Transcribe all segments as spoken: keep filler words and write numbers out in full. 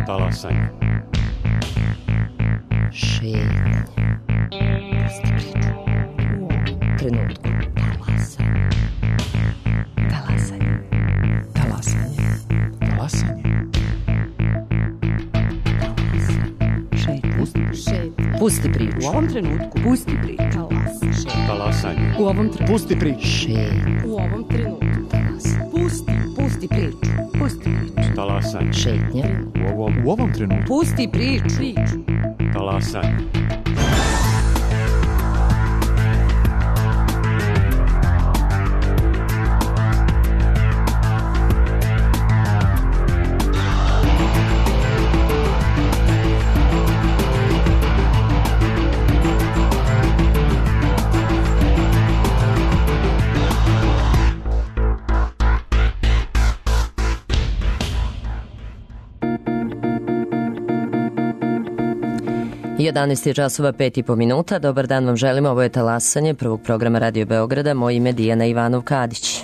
Talasanje. Šetnje. Pusti priču. U ovom trenutku. Talasanje. Talasanje. Talasanje. Talasanje. Šetnje. Šetnje. Pusti priču. U ovom trenutku. Pusti priču. Talasanje. Talasanje. U ovom trenutku. Pusti priču. Šetnje. U ovom trenutku. Talasanje. Pusti. Pusti priču. Pusti priču. Talasanje. Šetnje. U ovom, U ovom trenutku. Pusti priču. Priču. talasanje. jedanaest je časova pet i po minuta. Dobar dan vam želimo, ovo je Talasanje prvog programa Radio Beograda. Moje ime Dijana Ivanov-Kadić.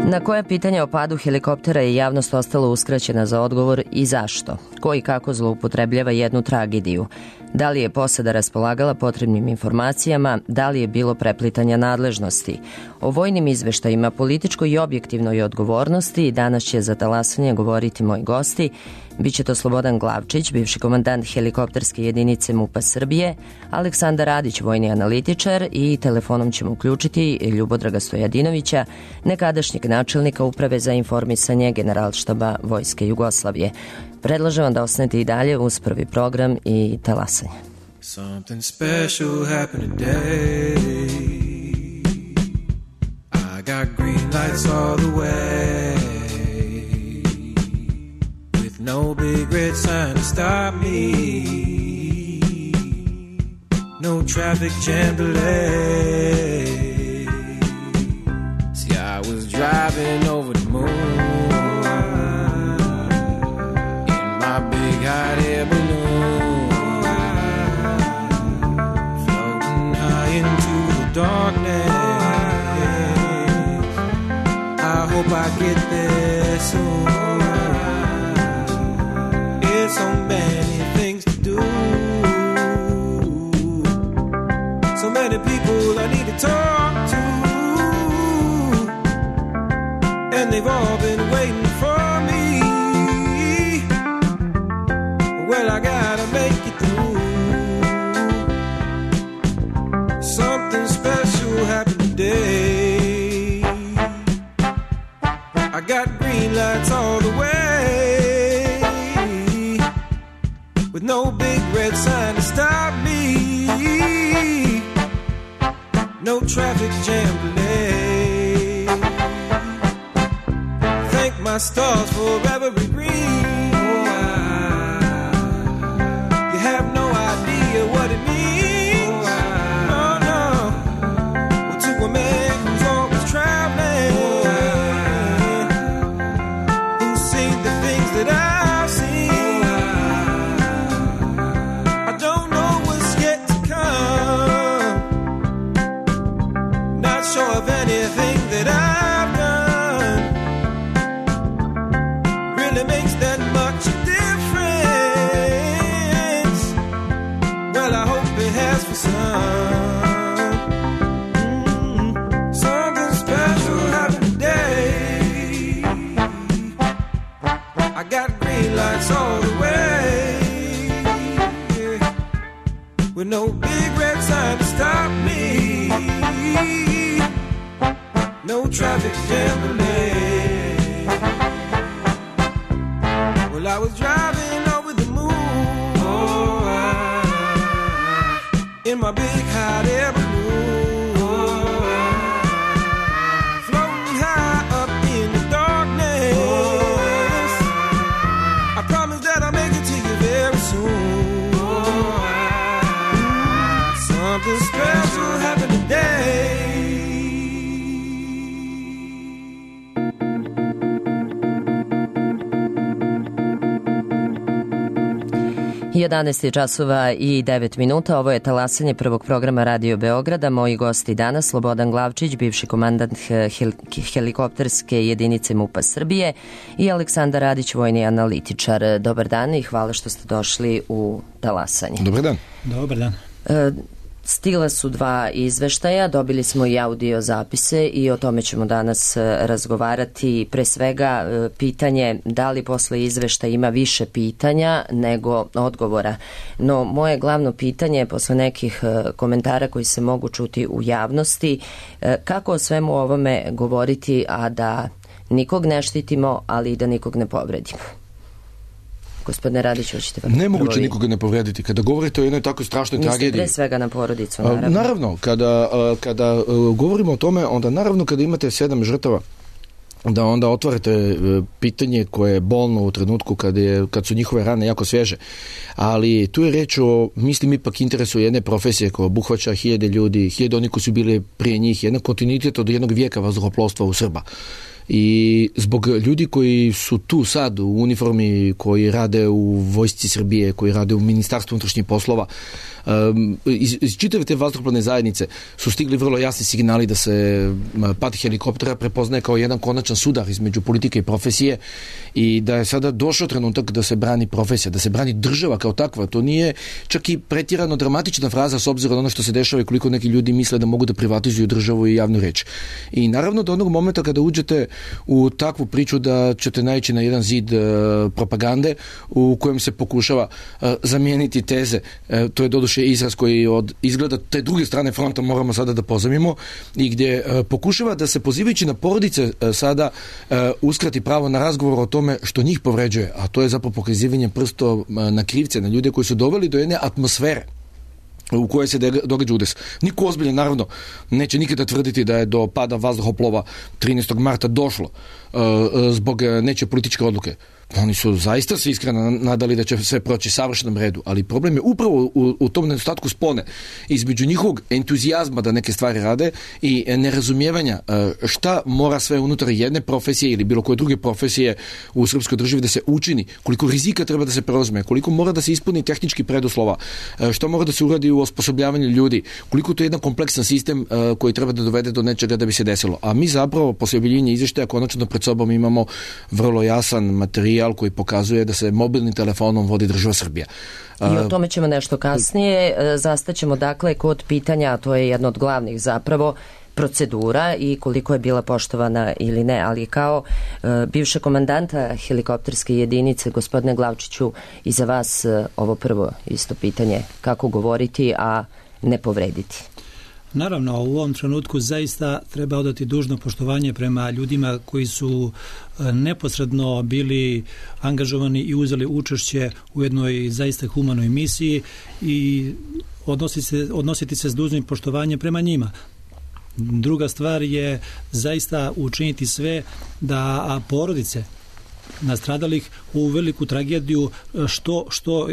Na koja pitanja o padu helikoptera je javnost ostala uskraćena za odgovor i zašto? Ko i kako zloupotrebljava jednu tragediju? Da li je posada raspolagala potrebnim informacijama? Da li je bilo preplitanja nadležnosti? O vojnim izveštajima, političkoj i objektivnoj odgovornosti danas će za Talasanje govoriti moji gosti. Biće to Slobodan Glavčić, bivši komandant helikopterske jedinice MUP-a Srbije, Aleksandar Radić, vojni analitičar, i telefonom ćemo uključiti Ljubodraga Stojadinovića, nekadašnjeg načelnika Uprave za informisanje Generalštaba Vojske Jugoslavije. Predlažem vam da ostanete i dalje uz prvi program i Talasanje. Something special happened today. I got green lights all the way. With no big red sign to stop me. No traffic jam delay. See, I was driving over the moon. Big hot air balloon, floating high into the darkness. I hope I get there soon. It's so many things to do, so many people I need to talk to, and they've all been waiting for me. Well, I gotta make it through. Something special happened today. I got green lights all the way, with no big red sign to stop me. No traffic jam delay. Thank my stars for every green. Have no idea what it means. No, no. Well, to a man who's always traveling, who's seen the things that I've seen, I don't know what's yet to come. Not sure of anything that I've done really makes that much difference. I hope it has for some. Mm-hmm. Something special happened today. I got green lights all the way, yeah. With no big red sign to stop me. No traffic jam delay. Well, I was driving over the moon. Oh, I in my big hot air balloon, floating high up in the darkness. I promise that I'll make it to you very soon. Something special happened today. jedanaest je časova i devet minuta. Ovo je talasanje prvog programa Radio Beograda. Moji gosti danas Slobodan Glavčić, bivši komandant hel helikopterske jedinice MUP-a Srbije, i Aleksandar Radić, vojni analitičar. Dobar dan i hvala što ste došli u talasanje. Dobar dan. Dobar dan. E, Stigla su dva izveštaja, dobili smo i audio zapise i o tome ćemo danas razgovarati. Pre svega pitanje da li posle izveštaja ima više pitanja nego odgovora. No moje glavno pitanje posle nekih komentara koji se mogu čuti u javnosti, kako o svemu ovome govoriti, a da nikog ne štitimo, ali i da nikog ne povredimo? Gospodine Radić, hoćete vam nemoguće prvi... nikoga ne povrediti. Kada govorite o jednoj tako strašnoj Niste tragediji... pre svega na porodicu, naravno. Naravno, kada, kada govorimo o tome, onda naravno kada imate sedam žrtava, da onda otvarate pitanje koje je bolno u trenutku kad, je, kad su njihove rane jako svježe. Ali tu je reč o, mislim, ipak interesu jedne profesije koja obuhvaća hiljade ljudi, hiljade oni koji su bili prije njih, jedan kontinuitet od jednog vijeka vazduhoplovstva u Srba. I zbog ljudi koji su tu sad u uniformi, koji rade u vojsci Srbije, koji rade u Ministarstvu unutrašnjih poslova, iz, iz čitave te vazduhoplovne zajednice su stigli vrlo jasni signali da se pad helikoptera prepoznaje kao jedan konačan sudar između politike i profesije i da je sada došao trenutak da se brani profesija, da se brani država kao takva. To nije čak i pretjerano dramatična fraza s obzirom na ono što se dešava i koliko neki ljudi misle da mogu da privatizuju državu i javnu reč. I naravno do onog momenta kada uđete u takvu priču da ćete naići na jedan zid uh, propagande u kojem se pokušava uh, zamijeniti teze. Uh, to je doduše izraz koji od izgleda te druge strane fronta moramo sada da pozamimo i gdje uh, pokušava da se pozivajući na porodice uh, sada uh, uskrati pravo na razgovor o tome što njih povređuje, a to je zapravo pokazivanje prstom uh, na krivce, na ljude koji su doveli do jedne atmosfere u kojoj se događa udes. Niko ozbiljan, naravno, neće nikada tvrditi da je do pada vazduhoplova trinaestog marta došlo uh, zbog nečije političke odluke. Oni su zaista se iskreno nadali da će sve proći savršenom redu, ali problem je upravo u, u tom nedostatku spone između njihovog entuzijazma da neke stvari rade i nerazumijevanja šta mora sve unutar jedne profesije ili bilo koje druge profesije u srpskoj državi da se učini, koliko rizika treba da se preuzme, koliko mora da se ispuni tehnički preduslova, šta mora da se uradi u osposobljavanju ljudi, koliko to je jedan kompleksan sistem koji treba da dovede do nečega da bi se desilo. A mi zapravo posle objavljivanja izveštaja konačno pred sobom imamo vrlo jasan materijal koji pokazuje da se mobilnim telefonom vodi država Srbija. I o tome ćemo nešto kasnije. Zastaćemo dakle kod pitanja, a to je jedno od glavnih zapravo, procedura i koliko je bila poštovana ili ne, ali kao uh, bivša komandanta helikopterske jedinice, gospodine Glavčiću, i za vas uh, ovo prvo isto pitanje, kako govoriti, a ne povrediti? Naravno, u ovom trenutku zaista treba odati dužno poštovanje prema ljudima koji su neposredno bili angažovani i uzeli učešće u jednoj zaista humanoj misiji i odnositi se, odnositi se s dužnim poštovanjem prema njima. Druga stvar je zaista učiniti sve da porodice nastradalih u veliku tragediju što, što uh,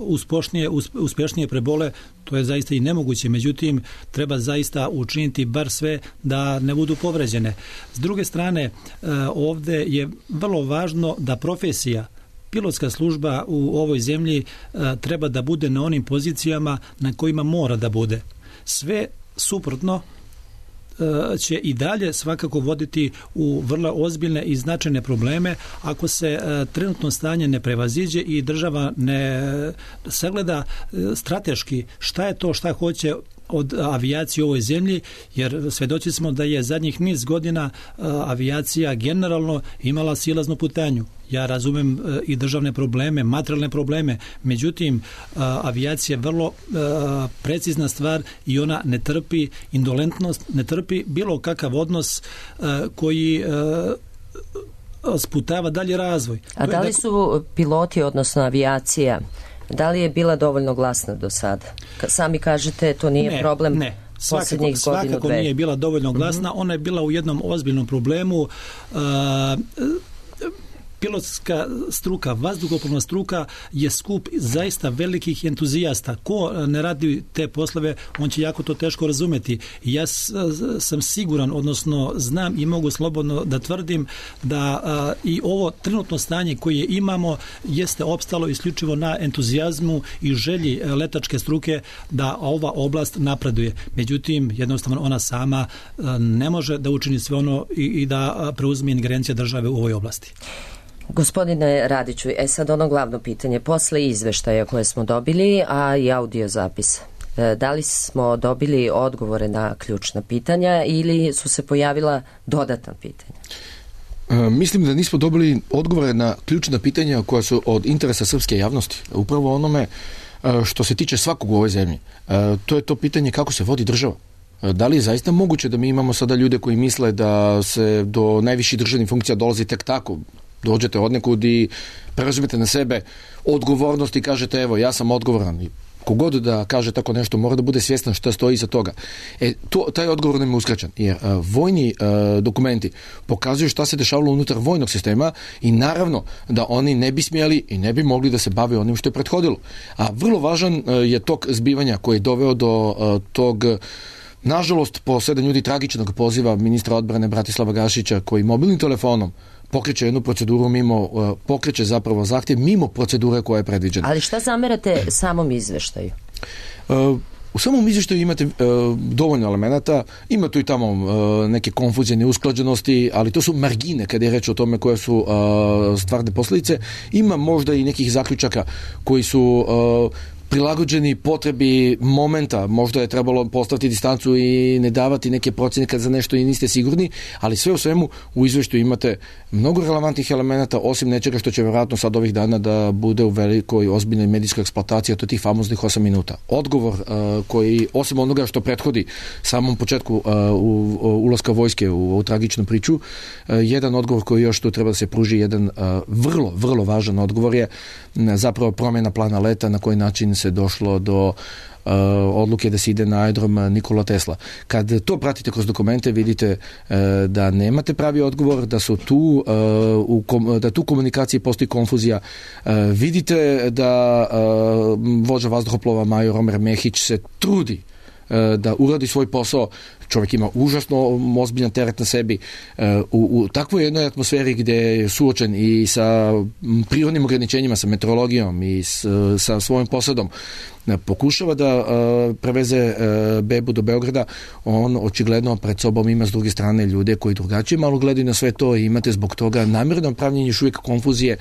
uspošnije, uspešnije prebole, to je zaista i nemoguće, međutim treba zaista učiniti bar sve da ne budu povređene. S druge strane, uh, ovde je vrlo važno da profesija, pilotska služba u ovoj zemlji uh, treba da bude na onim pozicijama na kojima mora da bude. Sve suprotno će i dalje svakako voditi u vrlo ozbiljne i značajne probleme ako se trenutno stanje ne prevaziđe i država ne sagleda strateški šta je to šta hoće od avijacije u ovoj zemlji, jer svedoci smo da je zadnjih niz godina avijacija generalno imala silaznu putanju. Ja razumem i državne probleme, materijalne probleme, međutim avijacija je vrlo precizna stvar i ona ne trpi indolentnost, ne trpi bilo kakav odnos koji sputava dalje razvoj. A da li su piloti, odnosno avijacija, da li je bila dovoljno glasna do sada? Sami kažete, to nije ne, problem ne. posljednjih godinu, svakako dve. Nije bila dovoljno glasna, mm-hmm. Ona je bila u jednom ozbiljnom problemu. Uh, pilotska struka, vazduhoplovna struka je skup zaista velikih entuzijasta. Ko ne radi te poslove, on će jako to teško razumeti. Ja sam siguran, odnosno znam i mogu slobodno da tvrdim da a, i ovo trenutno stanje koje imamo jeste opstalo isključivo na entuzijazmu i želji letačke struke da ova oblast napreduje. Međutim, jednostavno ona sama a, ne može da učini sve ono i, i da preuzme ingerencija države u ovoj oblasti. Gospodine Radiću, e sad ono glavno pitanje, posle izveštaja koje smo dobili, a i audio zapis, da li smo dobili odgovore na ključna pitanja ili su se pojavila dodatna pitanja? E, mislim da nismo dobili odgovore na ključna pitanja koja su od interesa srpske javnosti. Upravo onome što se tiče svakog u ovoj zemlji. E, to je to pitanje kako se vodi država. Da li je zaista moguće da mi imamo sada ljude koji misle da se do najviših državnih funkcija dolazi tek tako? Dođete od nekud i preuzmete na sebe odgovornost i kažete evo ja sam odgovoran. I kogod da kaže tako nešto mora da bude svjestan šta stoji iza toga. E, to, taj odgovor nam je uskraćen jer a, vojni a, dokumenti pokazuju šta se dešavalo unutar vojnog sistema i naravno da oni ne bi smjeli i ne bi mogli da se bave onim što je prethodilo. A vrlo važan a, je tok zbivanja koji je doveo do a, tog nažalost po sedam ljudi tragičnog poziva ministra odbrane Bratislava Gašića koji mobilnim telefonom pokreće jednu proceduru mimo, pokreće zapravo zahtjev mimo procedure koja je predviđena. Ali šta zamerate samom izveštaju? Uh, u samom izveštaju imate uh, dovoljno elemenata, ima tu i tamo uh, neke konfuzije, neusklađenosti, ali to su margine kada je reč o tome koje su uh, stvarne posljedice. Ima možda i nekih zaključaka koji su uh, prilagođeni potrebi momenta, možda je trebalo postaviti distancu i ne davati neke procjene kad za nešto i niste sigurni, ali sve u svemu u izveštaju imate mnogo relevantnih elemenata, osim nečega što će vjerojatno sad ovih dana da bude u velikoj ozbiljnoj medijskoj eksploataciji, a to je tih famoznih osam minuta. Odgovor uh, koji, osim onoga što prethodi samom početku uh, u, u ulaska vojske u ovu tragičnu priču, uh, jedan odgovor koji još tu treba da se pruži, jedan uh, vrlo, vrlo važan odgovor je uh, zapravo promjena plana leta, na koji način se došlo do uh, odluke da se ide na aerodrom Nikola Tesla. Kad to pratite kroz dokumente, vidite uh, da nemate pravi odgovor, da su tu uh, u kom, da tu komunikaciji postoji konfuzija. Uh, vidite da uh, vođa vazduhoplova major Omer Mehić se trudi uh, da uradi svoj posao. Čovjek ima užasno ozbiljan teret na sebi. U, u takvoj jednoj atmosferi gdje je suočen i sa prirodnim ograničenjima, sa meteorologijom i s, sa svojim posadom, pokušava da uh, preveze uh, bebu do Beograda, on očigledno pred sobom ima s druge strane ljude koji drugačije malo gledaju na sve to i imate zbog toga namjerno pravljenje još uvijek konfuzije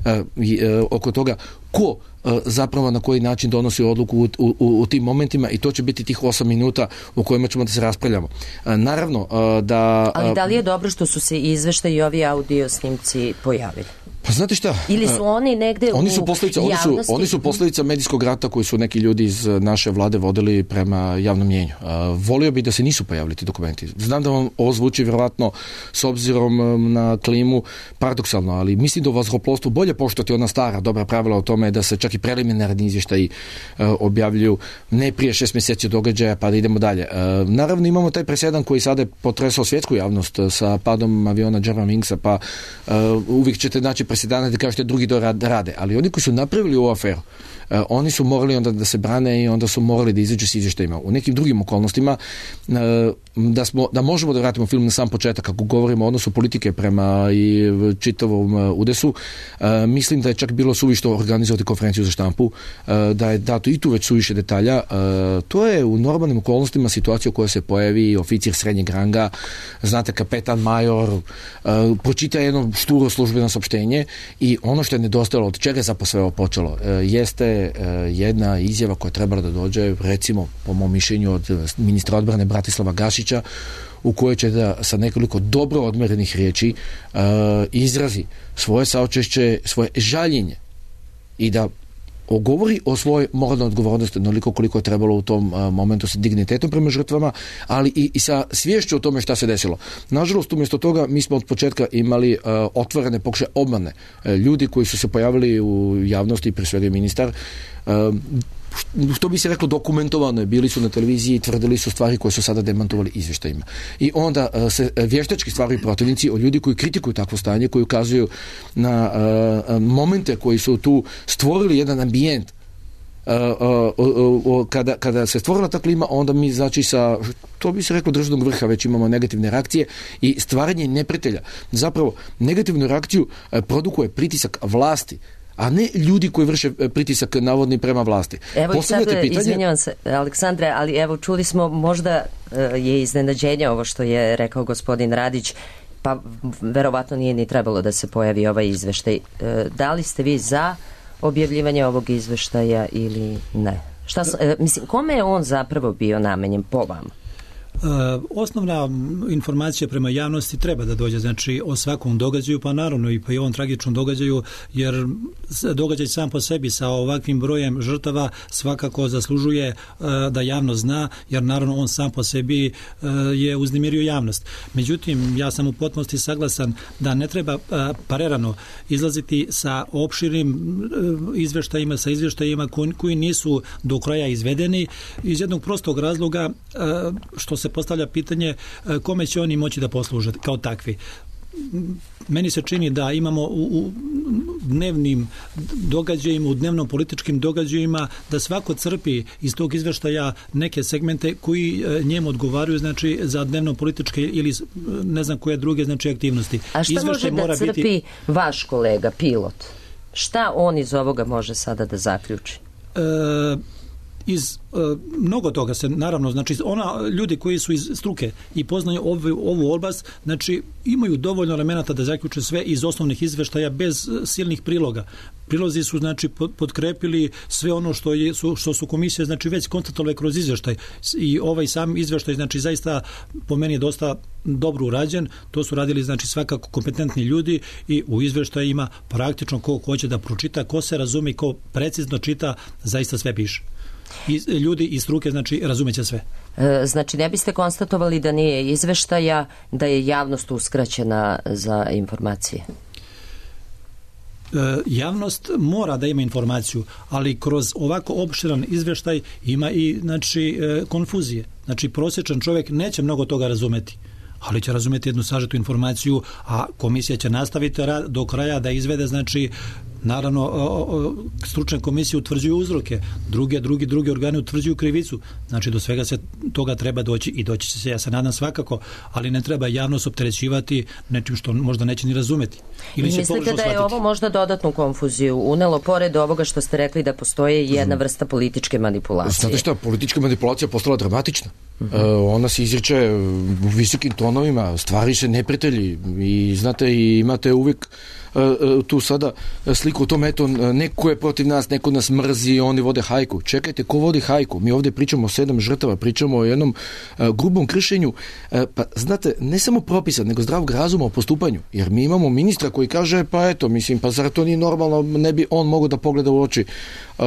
uh, i, uh, oko toga ko uh, zapravo na koji način donosi odluku u, u, u tim momentima i to će biti tih osam minuta u kojima ćemo da se raspravljamo. Uh, naravno uh, da... Uh, Ali da li je dobro što su se izveštaji i ovi audio snimci pojavili? Pa znate šta? Ili su oni negde oni u su posljedica, javnosti? Oni su, oni su posljedica medijskog rata koji su neki ljudi iz naše vlade vodili prema javnom mjenju. Uh, volio bi da se nisu pojavili ti dokumenti. Znam da vam ovo zvuči vjerovatno s obzirom na klimu paradoksalno, ali mislim da u vazduhoplovstvu bolje poštovati ona stara dobra pravila o tome da se čak i preliminarni izvještaji uh, objavljuju ne prije šest mjeseci događaja pa da idemo dalje. Uh, naravno imamo taj presedan koji sada je potresao svjetsku javnost sa padom aviona Germanwingsa, pa uh, uvijek ćete naći presedane da kažete drugi to rade, ali oni koji su napravili ovu aferu, uh, oni su morali onda da se brane i onda su morali da izađu s izvještajima. U nekim drugim okolnostima uh, da, smo, da možemo da vratimo film na sam početak kako govorimo o odnosu politike prema i čitavom uh, udesu, uh, mislim da je čak bilo suvišto organizovati konferenciju za štampu, uh, da je dato i tu već suviše detalja. Uh, to je u normalnim okolnostima situacija u kojoj se pojavi oficir srednjeg ranga, znate, kapetan, major, uh, pročita jedno šturo službeno saopštenje i ono što je nedostajalo, od čega je zapravo sve ovo počelo, uh, jeste uh, jedna izjava koja je trebala da dođe, recimo, po mom mišljenju, od ministra odbrane Bratislava Gašića, u kojoj će da sa nekoliko dobro odmerenih riječi uh, izrazi svoje saučešće, svoje žaljenje i da ogovori o svojoj moralnoj odgovornosti onoliko koliko je trebalo u tom uh, momentu sa dignitetom prema žrtvama, ali i, i sa sviješću o tome šta se desilo. Nažalost, umjesto toga mi smo od početka imali uh, otvorene pokušaje obmane. Uh, ljudi koji su se pojavili u javnosti, pre svega ministar, uh, što bi se reklo dokumentovano je, bili su na televiziji i tvrdili su stvari koje su sada demantovali izvještajima. I onda uh, se vještački stvaraju protivnici od ljudi koji kritikuju takvo stanje, koji ukazuju na uh, momente koji su tu stvorili jedan ambijent. Uh, uh, uh, uh, kada, kada se stvorila ta klima, onda mi znači sa, to bi se reklo, državnog vrha već imamo negativne reakcije i stvaranje neprijatelja. Zapravo negativnu reakciju uh, produkuje pritisak vlasti, a ne ljudi koji vrše pritisak navodni prema vlasti. Evo i sad, pitanje... izvinjavam se, Aleksandre, ali evo čuli smo, možda uh, je iznenađenje ovo što je rekao gospodin Radić, pa verovatno nije ni trebalo da se pojavi ovaj izveštaj. Uh, da li ste vi za objavljivanje ovog izveštaja ili ne? Šta, uh, mislim, kome je on zapravo bio namenjen po vama? Uh, osnovna informacija prema javnosti treba da dođe, znači o svakom događaju, pa naravno i pa i ovom tragičnom događaju, jer događaj sam po sebi sa ovakvim brojem žrtava svakako zaslužuje uh, da javnost zna, jer naravno on sam po sebi uh, je uznemirio javnost. Međutim, ja sam u potpunosti saglasan da ne treba uh, parerano izlaziti sa opširnim uh, izveštajima, sa izveštajima koji, koji nisu do kraja izvedeni iz jednog prostog razloga uh, što se postavlja pitanje kome će oni moći da posluže kao takvi. Meni se čini da imamo u, u dnevnim događajima, u dnevnom političkim događajima, da svako crpi iz tog izveštaja neke segmente koji njemu odgovaraju, znači za dnevno političke ili ne znam koje druge znači aktivnosti. A šta Izveštaj može da crpi biti... vaš kolega, pilot? Šta on iz ovoga može sada da zaključi? E, iz e, mnogo toga se naravno, znači ona ljudi koji su iz struke i poznaju ovu, ovu oblast, znači imaju dovoljno elemenata da zaključe sve iz osnovnih izveštaja bez silnih priloga. Prilozi su znači podkrepili sve ono što je su, što su komisije znači već konstatovale kroz izveštaj i ovaj sam izveštaj znači zaista po meni je dosta dobro urađen. To su radili znači svakako kompetentni ljudi i u izveštajima praktično ko hoće da pročita, ko se razume, ko precizno čita, zaista sve piše. I ljudi iz struke znači razumeće sve. E, znači ne biste konstatovali da nije izveštaja, da je javnost uskraćena za informacije? E, javnost mora da ima informaciju, ali kroz ovako opširan izveštaj ima i znači e, konfuzije. Znači prosječan čovjek neće mnogo toga razumeti, ali će razumeti jednu sažetu informaciju, a komisija će nastaviti do kraja da izvede znači naravno o, o, stručne komisije utvrđuju uzroke, druge, drugi, drugi organi utvrđuju krivicu, znači do svega se toga treba doći i doći će se, ja se nadam svakako, ali ne treba javnost opterećivati nečim što možda neće ni razumeti. Ili I mislite da je ovo možda dodatnu konfuziju unelo, pored ovoga što ste rekli da postoje jedna vrsta političke manipulacije? Znate šta, politička manipulacija postala dramatična. Uh-huh. Uh, ona se izriče u visokim tonovima, stvari se neprijatelji i znate, i imate uvijek uh, uh, tu sada sliku u tom, eto, neko je protiv nas, neko nas mrzi, oni vode hajku. Čekajte, ko vodi hajku? Mi ovdje pričamo o sedam žrtava, pričamo o jednom uh, grubom kršenju, uh, pa znate, ne samo propisa, nego zdravog razuma o postupanju, jer mi imamo ministra koji kaže, pa eto, mislim, pa zar to nije normalno, ne bi on mogao da pogleda u oči uh,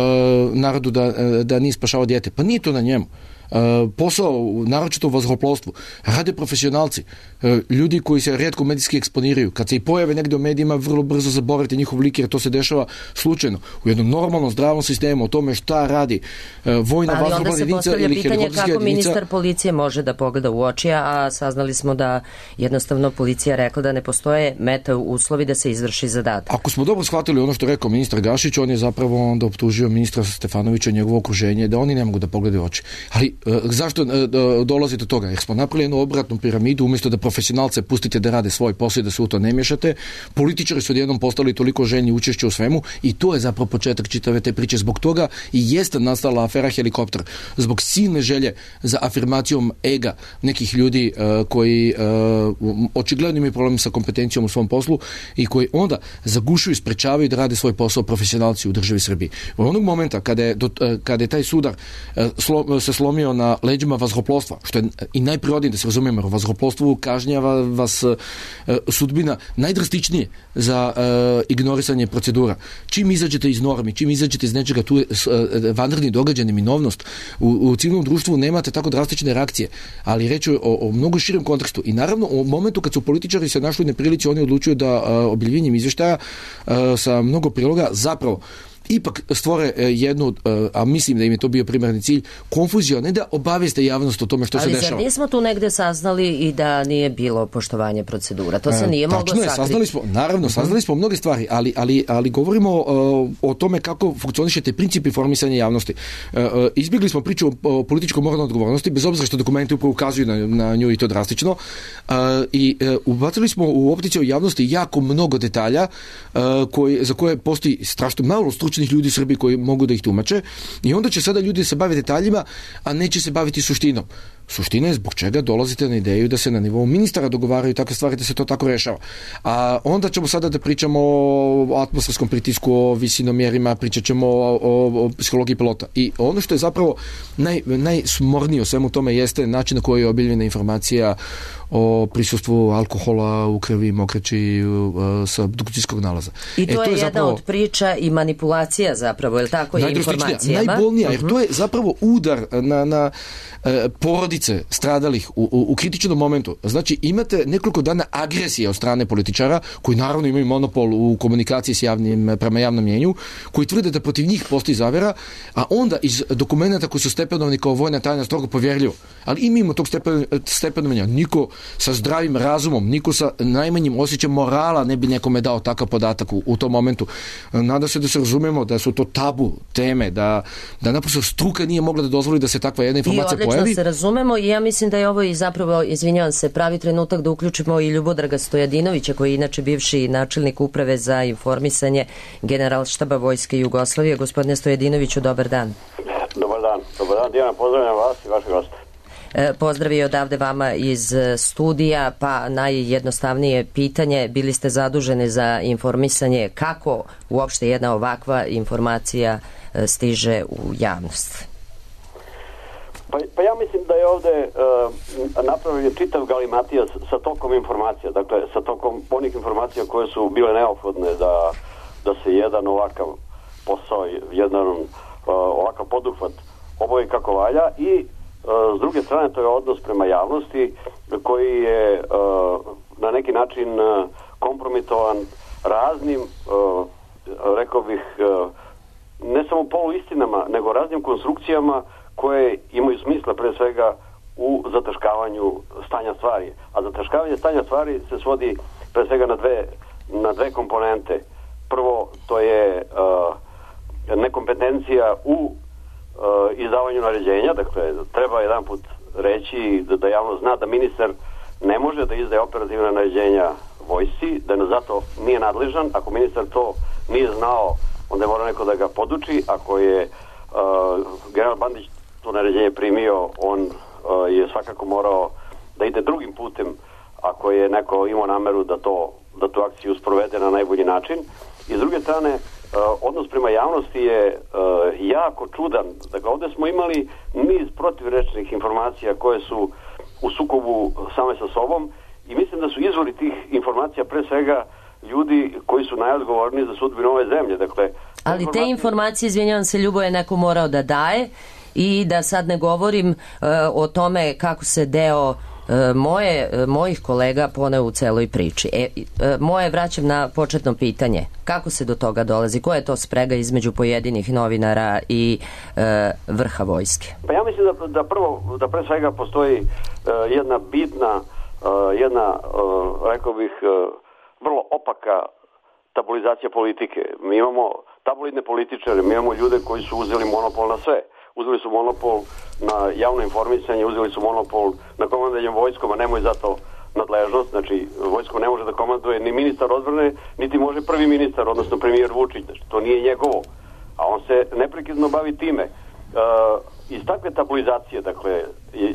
narodu da, da nije spašavao dijete. Pa nije to na njemu. Uh, posao, naročito u vazduhoplovstvu, rade profesionalci, uh, ljudi koji se rijetko medijski eksponiraju. Kad se i pojave negdje u medijima, vrlo brzo zaboravite njihov lik, jer to se dešava slučajno. U jednom normalnom, zdravom sistemu, o tome šta radi uh, vojna vazduhoplovna jedinica ili helikopterska jedinica. Kako ministar policije može da pogleda u oči, a saznali smo da jednostavno policija rekla da ne postoje meta uslovi da se izvrši zadatak. Ako smo dobro shvatili ono što je rekao ministar Gašić, on je zapravo onda optužio ministra Stefanovića i njegovo okruženje da oni ne mogu da pogledaju u oči. Ali zašto dolazi do toga? Jer smo napravili jednu obratnu piramidu, umjesto da profesionalce pustite da rade svoj posao i da se u to ne miješate. Političari su odjednom postali toliko željni učešća u svemu i to je zapravo početak čitave te priče. Zbog toga i jeste nastala afera Helikopter. Zbog silne želje za afirmacijom ega nekih ljudi uh, koji uh, očigledno imaju problem sa kompetencijom u svom poslu i koji onda zagušuju i sprečavaju da rade svoj posao profesionalci u državi Srbiji. U onog momenta kada je, do, uh, kada je taj sudar uh, slo, se slomio na leđima vazduhoplovstva, što je i najprirodnije da se razumijemo, jer u vazduhoplovstvu kažnjava vas uh, sudbina najdrastičnije za uh, ignorisanje procedura. Čim izađete iz normi, čim izađete iz nečega, tu je uh, vanredni događaj, neminovnost. U, u civilnom društvu nemate tako drastične reakcije, ali reći o, o mnogo širem kontekstu. I naravno, u momentu kad su političari se našli u neprilici, oni odlučuju da uh, objavljenjem izvještaja uh, sa mnogo priloga zapravo ipak stvore jednu, a mislim da im je to bio primarni cilj, konfuziju, a ne da obavijeste javnost o tome što ali se dešava. Ali zar nismo tu negde saznali i da nije bilo poštovanje procedura? To se nije e, moglo sakriti. Saznali smo, naravno, saznali smo mnoge stvari, ali, ali, ali govorimo uh, o tome kako funkcionišete princip informisanja javnosti. Uh, uh, izbjegli smo priču o, o političkom moralnoj odgovornosti, bez obzira što dokumenti upravo ukazuju na, na nju i to drastično. Uh, I uh, ubacili smo u opticiju javnosti jako mnogo detalja uh, koji, za koje postoji strašno malo stručnih ljudi u Srbiji koji mogu da ih tumače i onda će sada ljudi se baviti detaljima, a neće se baviti suštinom. Suština je zbog čega dolazite na ideju da se na nivou ministara dogovaraju takve stvari, da se to tako rešava. A onda ćemo sada da pričamo o atmosferskom pritisku, o visinomjerima, pričat ćemo o, o, o psihologiji pilota. I ono što je zapravo naj, najsmornije o svemu tome jeste način na koji je obiljena informacija o prisustvu alkohola u krvi, mokraći uh, sa obdukcijskog nalaza. I to e, je, to je jedna zapravo od priča i manipulacija zapravo, je li tako, je informacijama? Najbolnija, jer to je zapravo udar na, na uh, porodice stradalih u, u, u kritičnom momentu. Znači, imate nekoliko dana agresije od strane političara, koji naravno imaju monopol u komunikaciji s javnim, prema javnom mjenju, koji tvrde da protiv njih postoji zavera, a onda iz dokumenta koji su stepenovani kao vojna tajna strogo povjerljivo. Ali i mimo tog stepen, stepenovanja, niko sa zdravim razumom, niko sa najmanjim osjećajem morala ne bi nekome dao takav podatak u, u tom momentu. Nadam se da se razumemo da su to tabu teme, da, da naprosto struka nije mogla da dozvoli da se takva jedna informacija pojavi. I odlično se razumemo i ja mislim da je ovo i zapravo, izvinjavam se, pravi trenutak da uključimo i Ljubodraga Stojadinovića, koji je inače bivši načelnik uprave za informisanje Generalštaba Vojske Jugoslavije. Gospodine Stojadinoviću, dobar dan. Dobar dan. Dobar dan, Dijana, pozdravljam vas i vaše goste. Pozdrav i odavde vama iz studija, pa najjednostavnije pitanje, bili ste zaduženi za informisanje, kako uopšte jedna ovakva informacija stiže u javnost? Pa, pa ja mislim da je ovde uh, napravljen čitav galimatija sa tokom informacija, dakle sa tokom onih informacija koje su bile neophodne da, da se jedan ovakav posao, jedan uh, ovakav poduhvat obavi kako valja i s druge strane, to je odnos prema javnosti koji je uh, na neki način uh, kompromitovan raznim, uh, rekao bih, uh, ne samo poluistinama, nego raznim konstrukcijama koje imaju smisla pre svega u zataškavanju stanja stvari. A zataškavanje stanja stvari se svodi pre svega na dve, na dve komponente. Prvo, to je uh, nekompetencija u Uh, izdavanju naređenja, dakle treba jedan put reći da, da javno zna da ministar ne može da izdaje operativna naređenja vojsci, da ne zato nije nadležan. Ako ministar to nije znao, onda je mora neko da ga poduči. Ako je uh, general Bandić to naređenje primio, on uh, je svakako morao da ide drugim putem ako je neko imao nameru da to da tu akciju sprovede na najbolji način. I s druge strane, Uh, odnos prema javnosti je uh, jako čudan. Dakle, ovdje smo imali niz protivrečnih informacija koje su u sukobu same sa sobom i mislim da su izvori tih informacija pre svega ljudi koji su najodgovorniji za sudbinu ove zemlje. Dakle, ali informacije... te informacije, izvinjavam se, Ljubo, je neko morao da daje i da sad ne govorim uh, o tome kako se deo moje, mojih kolega poneo u celoj priči. E, moje vraćam na početno pitanje. Kako se do toga dolazi? Koja je to sprega između pojedinih novinara i e, vrha vojske? Pa ja mislim da, da prvo, da pre svega postoji uh, jedna bitna, uh, jedna, uh, rekao bih, uh, vrlo opaka tabulizacija politike. Mi imamo tabloidne političare, mi imamo ljude koji su uzeli monopol na sve. Uzeli su monopol na javno informisanje, uzeli su monopol na komandanje vojskom, a nemoj zato nadležnost. Znači, vojskom ne može da komanduje ni ministar odbrane, niti može prvi ministar, odnosno premijer Vučić. Znači, to nije njegovo. A on se neprekidno bavi time. E, iz takve tabulizacije, dakle,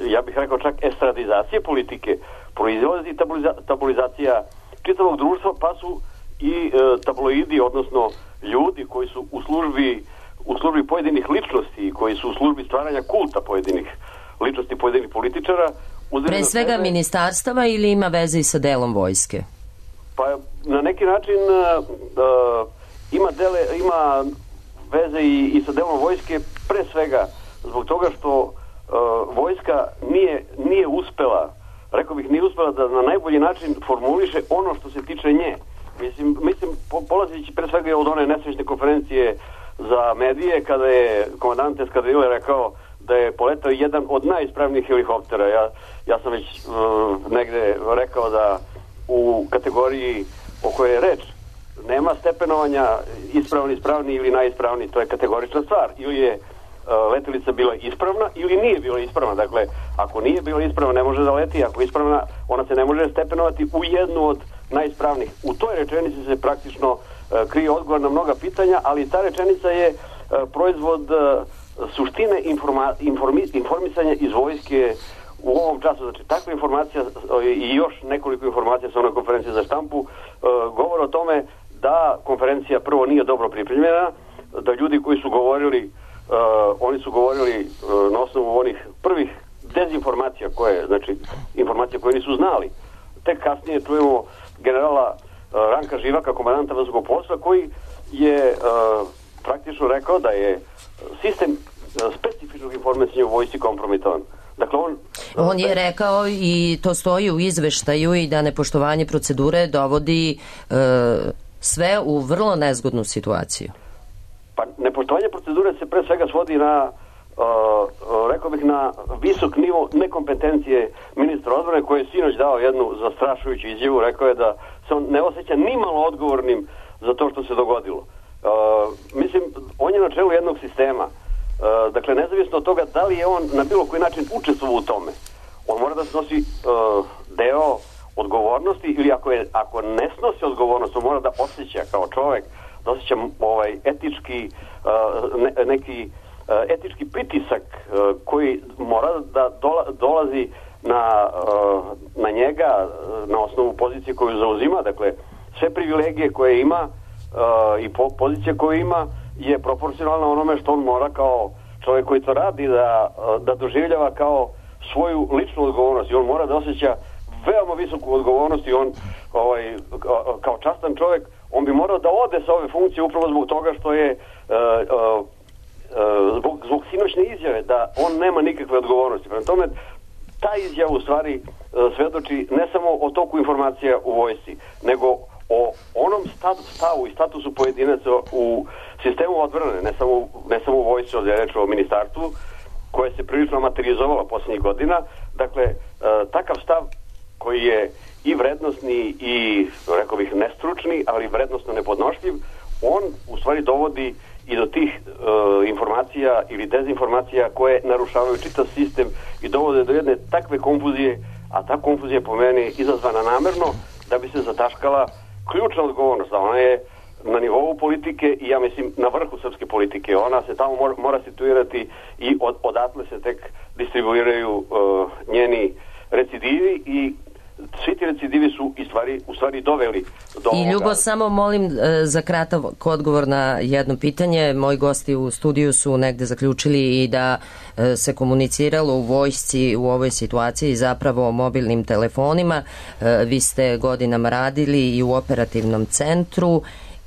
ja bih rekao čak estradizacije politike, proizlazi tabuliza, tabulizacija čitavog društva, pa su i e, tabloidi, odnosno ljudi koji su u službi u službi pojedinih ličnosti, koji su u službi stvaranja kulta pojedinih ličnosti, pojedinih političara. Pre svega sebe... ministarstava ili ima veze i sa delom vojske? Pa na neki način uh, uh, ima, dele, ima veze i, i sa delom vojske, pre svega zbog toga što uh, vojska nije, nije uspela, rekao bih, nije uspela da na najbolji način formuliše ono što se tiče nje. Mislim, mislim polazići pre svega od one nesrećne konferencije za medije kada je komandant eskadrile rekao da je poletao jedan od najispravnijih helikoptera. Ja, ja sam već uh, negde rekao da u kategoriji o kojoj je reč nema stepenovanja ispravni, ispravni ili najispravniji. To je kategorična stvar. Ili je uh, letelica bila ispravna ili nije bila ispravna. Dakle, ako nije bila ispravna ne može da leti, ako je ispravna ona se ne može stepenovati u jednu od najispravnijih. U toj rečenici se praktično uh, krije odgovor na mnoga pitanja, ali ta rečenica je uh, proizvod uh, suštine informa, informi, informisanja iz vojske u ovom času. Znači, takva informacija i još nekoliko informacija sa onoj konferenciji za štampu uh, govore o tome da konferencija prvo nije dobro pripremljena, da ljudi koji su govorili, uh, oni su govorili uh, na osnovu onih prvih dezinformacija koje, znači informacije koje nisu znali. Tek kasnije čujemo generala uh, Ranka Živaka, komandanta vazduhoplovstva, koji je uh, praktično rekao da je sistem specifičnog informisanja u vojsci kompromitovan. Dakle, on... On je rekao i to stoji u izveštaju i da nepoštovanje procedure dovodi e, sve u vrlo nezgodnu situaciju. Pa nepoštovanje procedure se pre svega svodi na uh, rekao bih na visok nivo nekompetencije ministra odbrane koji je sinoć dao jednu zastrašujuću izjavu. Rekao je da se on ne osjeća nimalo odgovornim za to što se dogodilo. Uh, mislim, on je na čelu jednog sistema. Uh, dakle, nezavisno od toga da li je on na bilo koji način učestvovao u tome, on mora da snosi uh, deo odgovornosti, ili ako, je, ako ne snosi odgovornost, on mora da osjeća kao čovek, da osjeća ovaj etički, uh, ne, neki uh, etički pritisak uh, koji mora da dola, dolazi na, uh, na njega uh, na osnovu pozicije koju zauzima. Dakle, sve privilegije koje ima uh, i po, pozicije koje ima je proporcionalna onome što on mora kao čovjek koji to radi da, da doživljava kao svoju ličnu odgovornost, i on mora da osjeća veoma visoku odgovornost, i on ovaj, kao častan čovjek on bi morao da ode sa ove funkcije upravo zbog toga što je uh, uh, zbog, zbog sinoćne izjave da on nema nikakve odgovornosti. Prema tome, ta izjava u stvari uh, svedoči ne samo o toku informacija u vojsci, nego o onom stavu i statusu pojedinaca u sistemu odbrane, ne samo, ne samo u vojsci, ovdje je reč o ministarstvu, koje se prilično materializovalo posljednjih godina. Dakle, e, takav stav koji je i vrednosni i, rekao bih, nestručni, ali vrednosno nepodnošljiv, on u stvari dovodi i do tih e, informacija ili dezinformacija koje narušavaju čitav sistem i dovode do jedne takve konfuzije, a ta konfuzija po meni izazvana namerno da bi se zataškala ključna odgovornost. Ona je na nivou politike i ja mislim na vrhu srpske politike. Ona se tamo mora, mora situirati i od, odatle se tek distribuiraju uh, njeni recidivi, i svi ti recidivi su i stvari, u stvari doveli do I Ljubo, ovoga. Samo molim za kratak odgovor na jedno pitanje. Moji gosti u studiju su negde zaključili i da se komuniciralo u vojsci u ovoj situaciji zapravo o mobilnim telefonima. Vi ste godinama radili i u operativnom centru,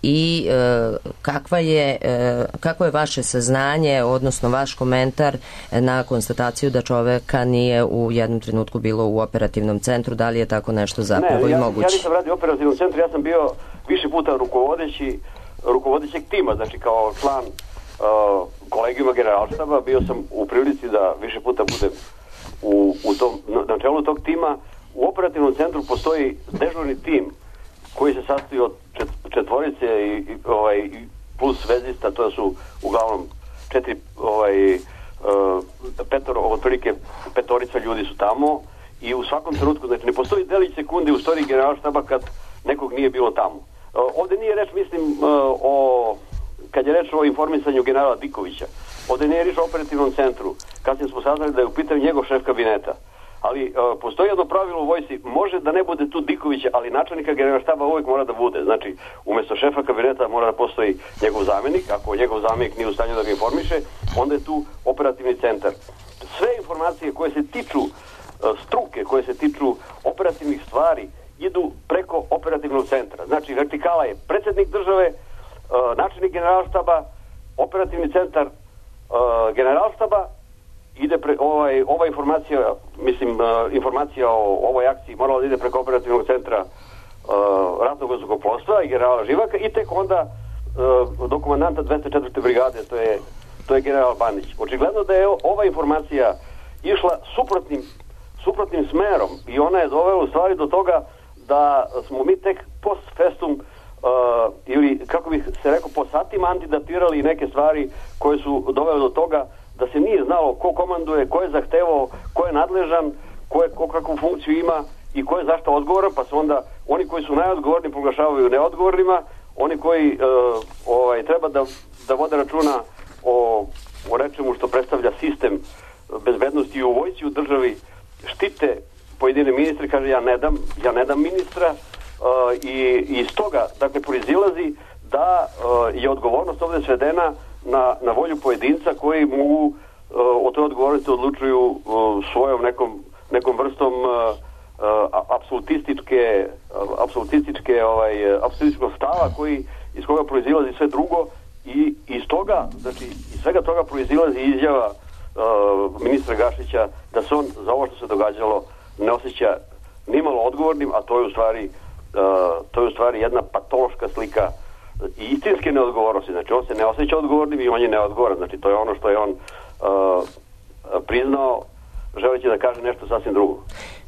i e, kakva je, e, kako je vaše saznanje, odnosno vaš komentar na konstataciju da čoveka nije u jednom trenutku bilo u operativnom centru? Da li je tako nešto zapravo ne, ja, i moguće? Ja nisam radio u operativnom centru, ja sam bio više puta rukovodeći rukovodećeg tima, znači kao član uh, kolegijuma generalštaba, bio sam u prilici da više puta budem u, u tom, na, na čelu tog tima. U operativnom centru postoji dežurni tim koji se sastoji od čet, četvorice i, i, ovaj, plus vezista, to su uglavnom četiri, ovaj, uh, petoro, otprilike petorica ljudi su tamo, i u svakom trenutku, znači ne postoji delić sekundi u storiji generalštaba kad nekog nije bilo tamo. Uh, ovdje nije reč, mislim, uh, o, kad je reč o informisanju generala Dikovića, ovdje nije reč o operativnom centru, kasnije smo saznali da je u pitanju njegov šef kabineta. Ali uh, postoji jedno pravilo u vojsci, može da ne bude tu Dikovića, ali načelnika generalštaba uvijek mora da bude. Znači, umjesto šefa kabineta mora da postoji njegov zamjenik. Ako njegov zamjenik nije u stanju da ga informiše, onda je tu operativni centar. Sve informacije koje se tiču uh, struke, koje se tiču operativnih stvari, idu preko operativnog centra. Znači, vertikala je predsjednik države, uh, načelnik generalštaba, operativni centar uh, generalštaba, ide pre, ovaj, ova informacija, mislim, uh, informacija o ovoj akciji morala da ide preko operativnog centra uh, ratnog vazduhoplovstva i generala Živaka, i tek onda uh, do komandanta dvesta četvrte brigade, to je, to je general Bandić. Očigledno da je ova informacija išla suprotnim, suprotnim smerom i ona je dovela u stvari do toga da smo mi tek post festum uh, ili, kako bih se rekao, po satima antidatirali neke stvari koje su dovele do toga da se nije znalo ko komanduje, ko je zahtevao, ko je nadležan, ko, je, ko kakvu funkciju ima i ko je zašto odgovoran, pa su onda oni koji su najodgovorni proglašavaju neodgovornima, oni koji uh, ovaj, treba da, da vode računa o, o nečemu što predstavlja sistem bezbednosti u vojsci u državi, štite pojedine ministre, kaže ja ne dam, ja ne dam ministra uh, i, i iz toga, dakle, proizilazi da uh, je odgovornost ovdje svedena na, na volju pojedinca koji mogu uh, o toj odgovornosti odlučuju uh, svojom nekom, nekom vrstom uh, Uh, apsolutističke uh, apsolutističke ovaj, apsolutističkog stava koji iz koga proizilazi sve drugo i iz toga, znači iz svega toga proizilazi izjava uh, ministra Gašića da se on za ovo što se događalo ne osjeća nimalo odgovornim, a to je u stvari uh, to je u stvari jedna patološka slika i istinske neodgovornosti. Znači on se ne osjeća odgovornim i on je neodgovoran. Znači to je ono što je on uh, priznao želeći da kaže nešto sasvim drugo.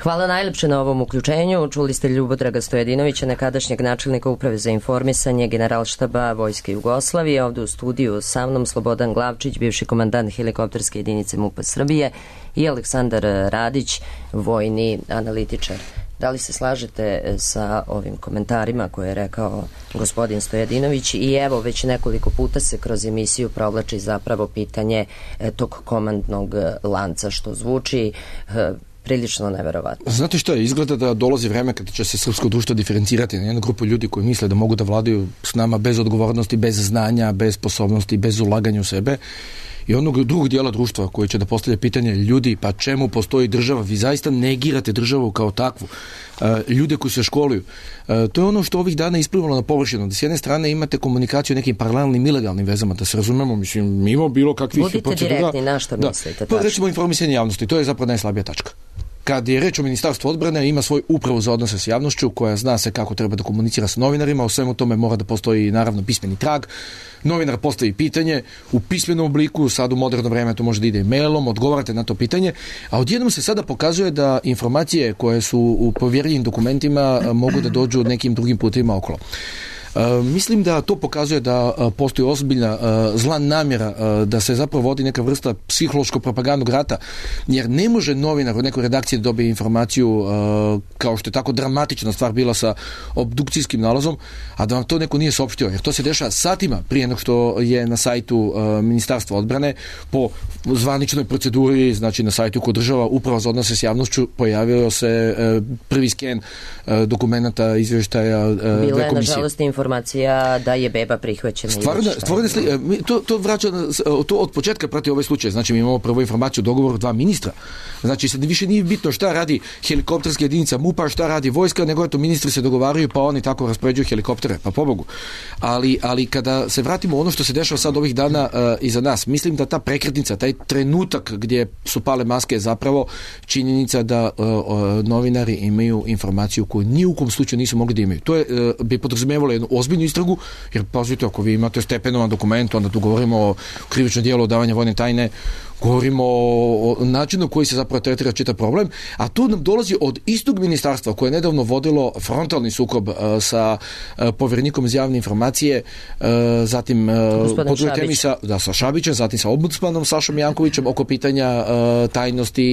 Hvala najlepše na ovom uključenju. Čuli ste Ljubodraga Stojedinovića, nekadašnjeg načelnika Uprave za informisanje Generalštaba Vojske Jugoslavije. Ovdje u studiju sa mnom Slobodan Glavčić, bivši komandant helikopterske jedinice MUP-a Srbije, i Aleksandar Radić, vojni analitičar. Da li se slažete sa ovim komentarima koje je rekao gospodin Stojedinović? I evo, već nekoliko puta se kroz emisiju provlači zapravo pitanje tog komandnog lanca, što zvuči e, prilično neverovatno. Znate što je? Izgleda da dolazi vreme kada će se srpsko društvo diferencirati na jednu grupu ljudi koji misle da mogu da vladaju s nama bez odgovornosti, bez znanja, bez sposobnosti, bez ulaganja u sebe. I onog drugog dijela društva koji će da postavlja pitanje ljudi, pa čemu postoji država? Vi zaista negirate državu kao takvu. E, ljude koji se školuju. E, to je ono što ovih dana isplivalo na površinu. Da s jedne strane imate komunikaciju o nekim paralelnim ilegalnim vezama, da se razumemo, mislim, mimo bilo kakvih Budite procedura. direktni, na što da, mislite? Pa recimo informisanje javnosti, to je zapravo najslabija tačka. Kad je reč o Ministarstvu odbrane, ima svoj upravu za odnose s javnošću koja zna se kako treba da komunicira sa novinarima, o svemu tome mora da postoji naravno pismeni trag. Novinar postavi pitanje u pismenom obliku, sad u moderno vreme to može da ide i mailom, odgovarate na to pitanje, a odjednom se sada pokazuje da informacije koje su u povjerljivim dokumentima mogu da dođu nekim drugim putima okolo. Uh, mislim da to pokazuje da uh, postoji ozbiljna uh, zla namjera uh, da se zapravo vodi neka vrsta psihološko-propagandnog rata, jer ne može novinar u nekoj redakciji da dobije informaciju uh, kao što je tako dramatična stvar bila sa obdukcijskim nalazom, a da vam to neko nije saopštio, jer to se dešava satima prije nego što je na sajtu uh, Ministarstva odbrane po zvaničnoj proceduri, znači na sajtu koji država Uprava za odnose s javnošću, pojavio se uh, prvi sken uh, dokumenta izvještaja uh, Bila je, nažalost, informacija da je beba prihvaćena. Stvarno, stvarno to, to vraća, to od početka prati ovaj slučaj. Znači, mi imamo prvo informaciju o dogovoru dva ministra. Znači, sad više nije bitno šta radi helikopterska jedinica MUP-a, šta radi vojska, nego to ministri se dogovaraju, pa oni tako raspoređuju helikoptere, pa pobogu. Ali, ali kada se vratimo ono što se dešava sad ovih dana uh, iza nas, mislim da ta prekretnica, taj trenutak gdje su pale maske je zapravo činjenica da uh, uh, novinari imaju informaciju koju ni u kom slučaju nisu mogli da imaju. To je, uh, bi podrazumevalo jednu ozbiljnu istragu, jer pazite, ako vi imate stepenovan dokument, onda tu govorimo o krivičnom dijelu odavanja vojne tajne, govorimo o, o načinu koji se zapravo tretira čitav problem, a tu nam dolazi od istog ministarstva koje je nedavno vodilo frontalni sukob uh, sa uh, povjerenikom za javne informacije, uh, zatim uh, Šabić. sa, da, sa Šabićem, zatim sa ombudsmanom Sašom Jankovićem oko pitanja uh, tajnosti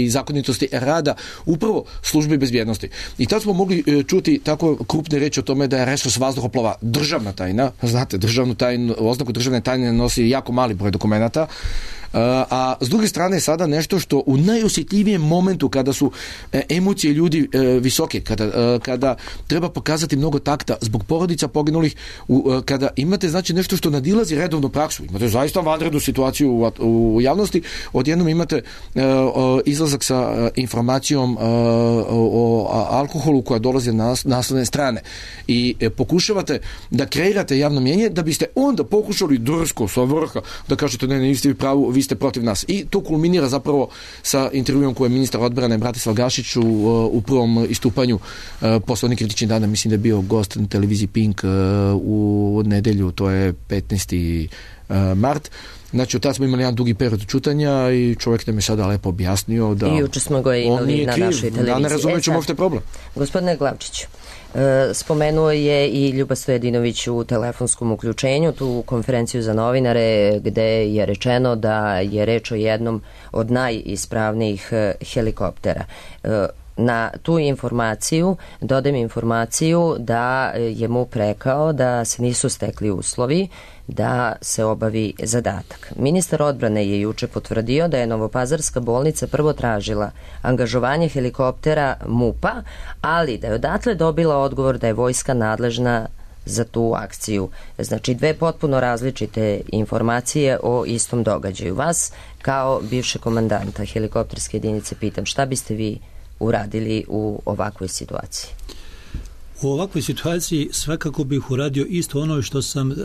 i zakonitosti rada upravo službi bezbjednosti. I tad smo mogli uh, čuti tako krupne reči o tome da je resurs vazduhoplova državna tajna. Znate, državnu tajnu, oznaku državne tajne nosi jako mali broj dokumenata. Uh, a s druge strane sada nešto što u najosjetljivijem momentu kada su e, emocije ljudi e, visoke, kada, e, kada treba pokazati mnogo takta zbog porodica poginulih, u, e, kada imate znači nešto što nadilazi redovnu praksu, imate zaista vanrednu situaciju u, u javnosti, odjednom imate e, o, izlazak sa e, informacijom e, o, o alkoholu koja dolazi na naslovne strane i e, pokušavate da kreirate javno mjenje da biste onda pokušali drsko sa vrha da kažete ne, ne, niste vi pravu, vi vi ste protiv nas. I to kulminira zapravo sa intervjuom koje je ministar odbrane Bratislav Gašić u, u prvom istupanju posle onih kritičnih dana, mislim da je bio gost na televiziji Pink u nedelju, to je petnaesti mart. Znači, od tada smo imali jedan dugi period čutanja i čovjek nam je sada lepo objasnio da... I juče smo ga imali na našoj televiziji. Ja ne razumijem čemu uopšte problem. Gospodine Glavčiću, spomenuo je i Ljuba Stojadinović u telefonskom uključenju tu konferenciju za novinare gde je rečeno da je reč o jednom od najispravnijih helikoptera. Na tu informaciju dodam informaciju da je M U P rekao da se nisu stekli uslovi da se obavi zadatak. Ministar odbrane je juče potvrdio da je Novopazarska bolnica prvo tražila angažovanje helikoptera M U P-a, ali da je odatle dobila odgovor da je vojska nadležna za tu akciju. Znači, dve potpuno različite informacije o istom događaju. Vas, kao bivše komandanta helikopterske jedinice, pitam šta biste vi uradili u ovakvoj situaciji? U ovakvoj situaciji svakako bih uradio isto ono što sam uh,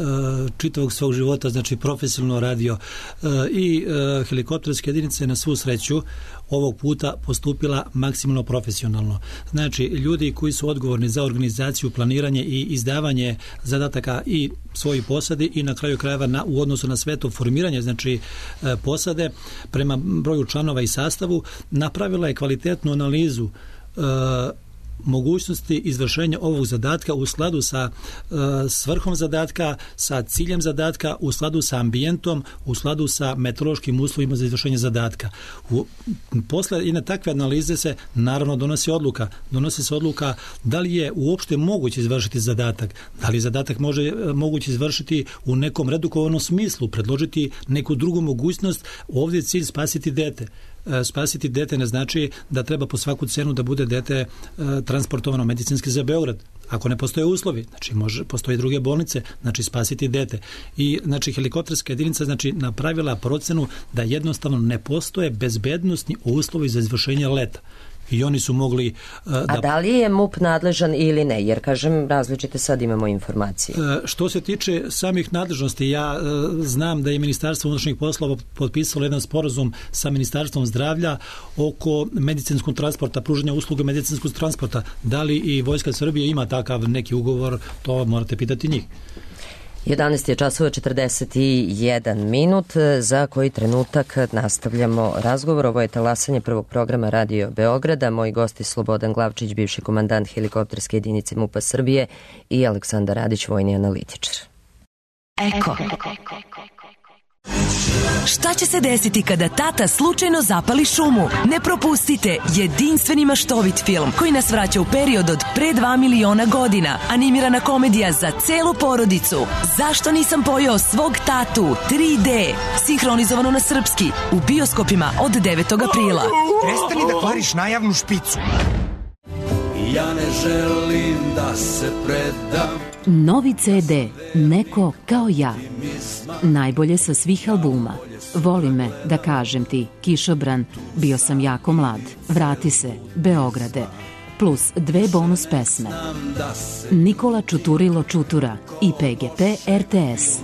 čitavog svog života, znači profesionalno radio uh, i uh, helikopterske jedinice na svu sreću ovog puta postupila maksimalno profesionalno. Znači, ljudi koji su odgovorni za organizaciju, planiranje i izdavanje zadataka i svojih posadi i na kraju krajeva na, u odnosu na sve to formiranje, znači uh, posade prema broju članova i sastavu, napravila je kvalitetnu analizu uh, mogućnosti izvršenja ovog zadatka u skladu sa uh, svrhom zadatka, sa ciljem zadatka, u skladu sa ambijentom, u skladu sa meteorološkim uslovima za izvršenje zadatka. U, posle i na takve analize se naravno donosi odluka. Donosi se odluka da li je uopšte moguće izvršiti zadatak, da li zadatak može moguće izvršiti u nekom redukovanom smislu, predložiti neku drugu mogućnost. Ovdje je cilj spasiti dete. Spasiti dete ne znači da treba po svaku cenu da bude dete e, transportovano medicinski za Beograd. Ako ne postoje uslovi, znači može, postoje druge bolnice, znači spasiti dete. I znači helikopterska jedinica znači napravila procenu da jednostavno ne postoje bezbednosni uslovi za izvršenje leta. I oni su mogli... Uh, da... A da li je M U P nadležan ili ne? Jer, kažem, različite sad imamo informacije. Uh, što se tiče samih nadležnosti, ja uh, znam da je Ministarstvo unutrašnjih poslova potpisalo jedan sporazum sa Ministarstvom zdravlja oko medicinskog transporta, pružanja usluge medicinskog transporta. Da li i Vojska Srbije ima takav neki ugovor, to morate pitati njih. jedanaest je časova četrdeset jedan minut, za koji trenutak nastavljamo razgovor. Ovo je talasanje prvog programa Radio Beograda. Moji gosti Slobodan Glavčić, bivši komandant helikopterske jedinice M U P-a Srbije, i Aleksandar Radić, vojni analitičar. Eko. Šta će se desiti kada tata slučajno zapali šumu? Ne propustite jedinstveni maštovit film koji nas vraća u period od pre dva miliona godina. Animirana komedija za celu porodicu. Zašto nisam pojeo svog tatu? tri D. Sinhronizovano na srpski. U bioskopima od devetog aprila. Prestani da kvariš najavnu špicu. Ja ne želim da se predam. Novi ce de, Neko kao ja. Najbolje sa svih albuma. Voli me, da kažem ti, Kišobran, Bio sam jako mlad, Vrati se, Beograde, plus dve bonus pesme. Nikola Čuturilo Čutura i P G P R T S.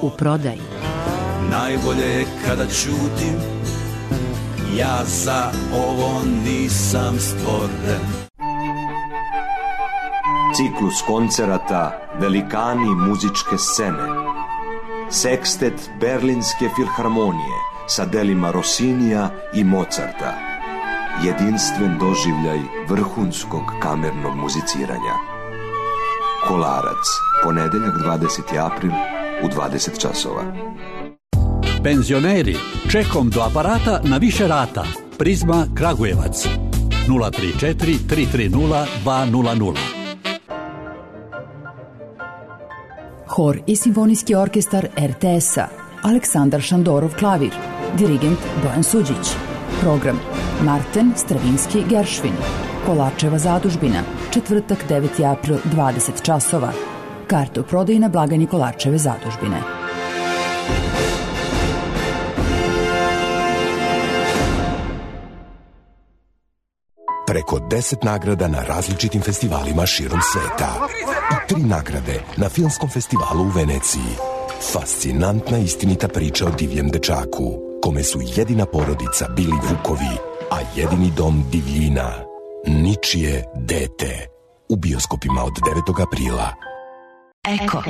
U prodaji. Najbolje je kada ćutim, ja za ovo nisam stvoren. Ciklus koncerata Velikani muzičke scene. Sekstet Berlinske filharmonije sa delima Rossinija i Mozarta. Jedinstven doživljaj vrhunskog kamernog muziciranja. Kolarac, ponedeljak dvadeseti april u dvadeset časova. Penzioneri, čekom do aparata na više rata. Prizma Kragujevac nula tri četiri tri tri nula dva nula nula. Hor i simfonijski orkestar R T S-a, Aleksandar Šandorov klavir, dirigent Bojan Suđić. Program Marten Stravinski Geršvin, Kolarčeva zadužbina, četvrtak deveti april dvadeset časova. Karte u prodaji na blagajni Kolarčeve zadužbine. Preko deset nagrada na različitim festivalima širom sveta. I tri nagrade na filmskom festivalu u Veneciji. Fascinantna istinita priča o divljem dečaku. kome su jedina porodica bili vukovi, a jedini dom divljina. Ničije dete. U bioskopima od devetog aprila. Eko.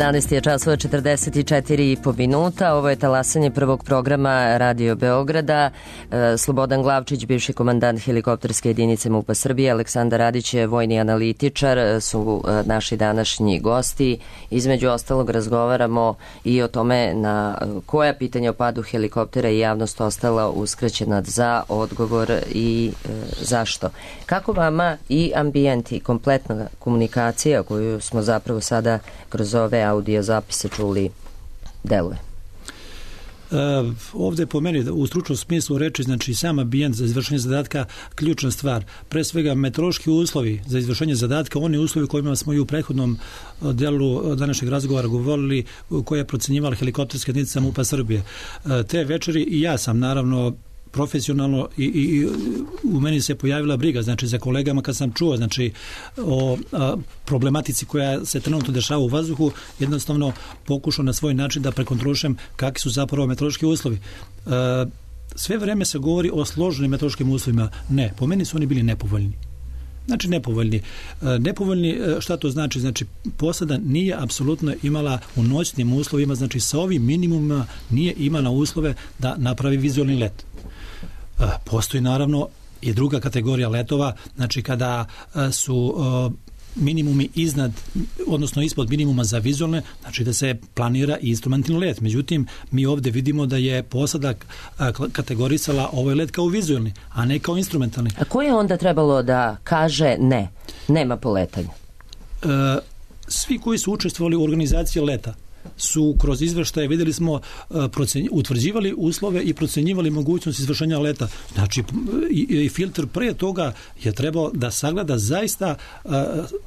jedanaest je časova četrdeset četiri i po minuta. Ovo je talasanje prvog programa Radio Beograda. Slobodan Glavčić, bivši komandant helikopterske jedinice MUP-a Srbije, Aleksandar Radić, vojni analitičar, su naši današnji gosti. Između ostalog razgovaramo i o tome na koja pitanja o padu helikoptera i javnost ostala uskraćena za odgovor i e, zašto. Kako vama i ambijent i kompletna komunikacija koju smo zapravo sada kroz ove audio zapise čuli deluje? Uh, ovde po meni u stručnom smislu reči, znači sam ambijent za izvršenje zadatka ključna stvar. Pre svega meteorološki uslovi za izvršenje zadatka, oni uslovi kojima smo i u prethodnom delu današnjeg razgovora govorili, koje je procenjivala helikopterska jedinica MUP-a Srbije. Uh, te večeri i ja sam naravno profesionalno i, i u meni se pojavila briga, znači za kolegama kad sam čuo znači o a, problematici koja se trenutno dešava u vazduhu, jednostavno pokušao na svoj način da prekontrolišem kakvi su zapravo meteorološki uslovi. E, sve vreme se govori o složenim meteorološkim uslovima. Ne, po meni su oni bili nepovoljni. Znači nepovoljni. E, nepovoljni, šta to znači? Znači posada nije apsolutno imala u noćnim uslovima, znači sa ovim minimumima nije imala uslove da napravi vizualni let. Postoji naravno i druga kategorija letova, znači kada su minimumi iznad, odnosno ispod minimuma za vizualne, znači da se planira i instrumentalni let. Međutim, mi ovde vidimo da je posada kategorisala ovaj let kao vizualni, a ne kao instrumentalni. A ko je onda trebalo da kaže ne, nema poletanja? E, svi koji su učestvovali u organizaciji leta su kroz izveštaje, videli smo, procen, utvrđivali uslove i procenjivali mogućnost izvršenja leta. Znači, i, i filtr pre toga je trebao da sagleda zaista uh,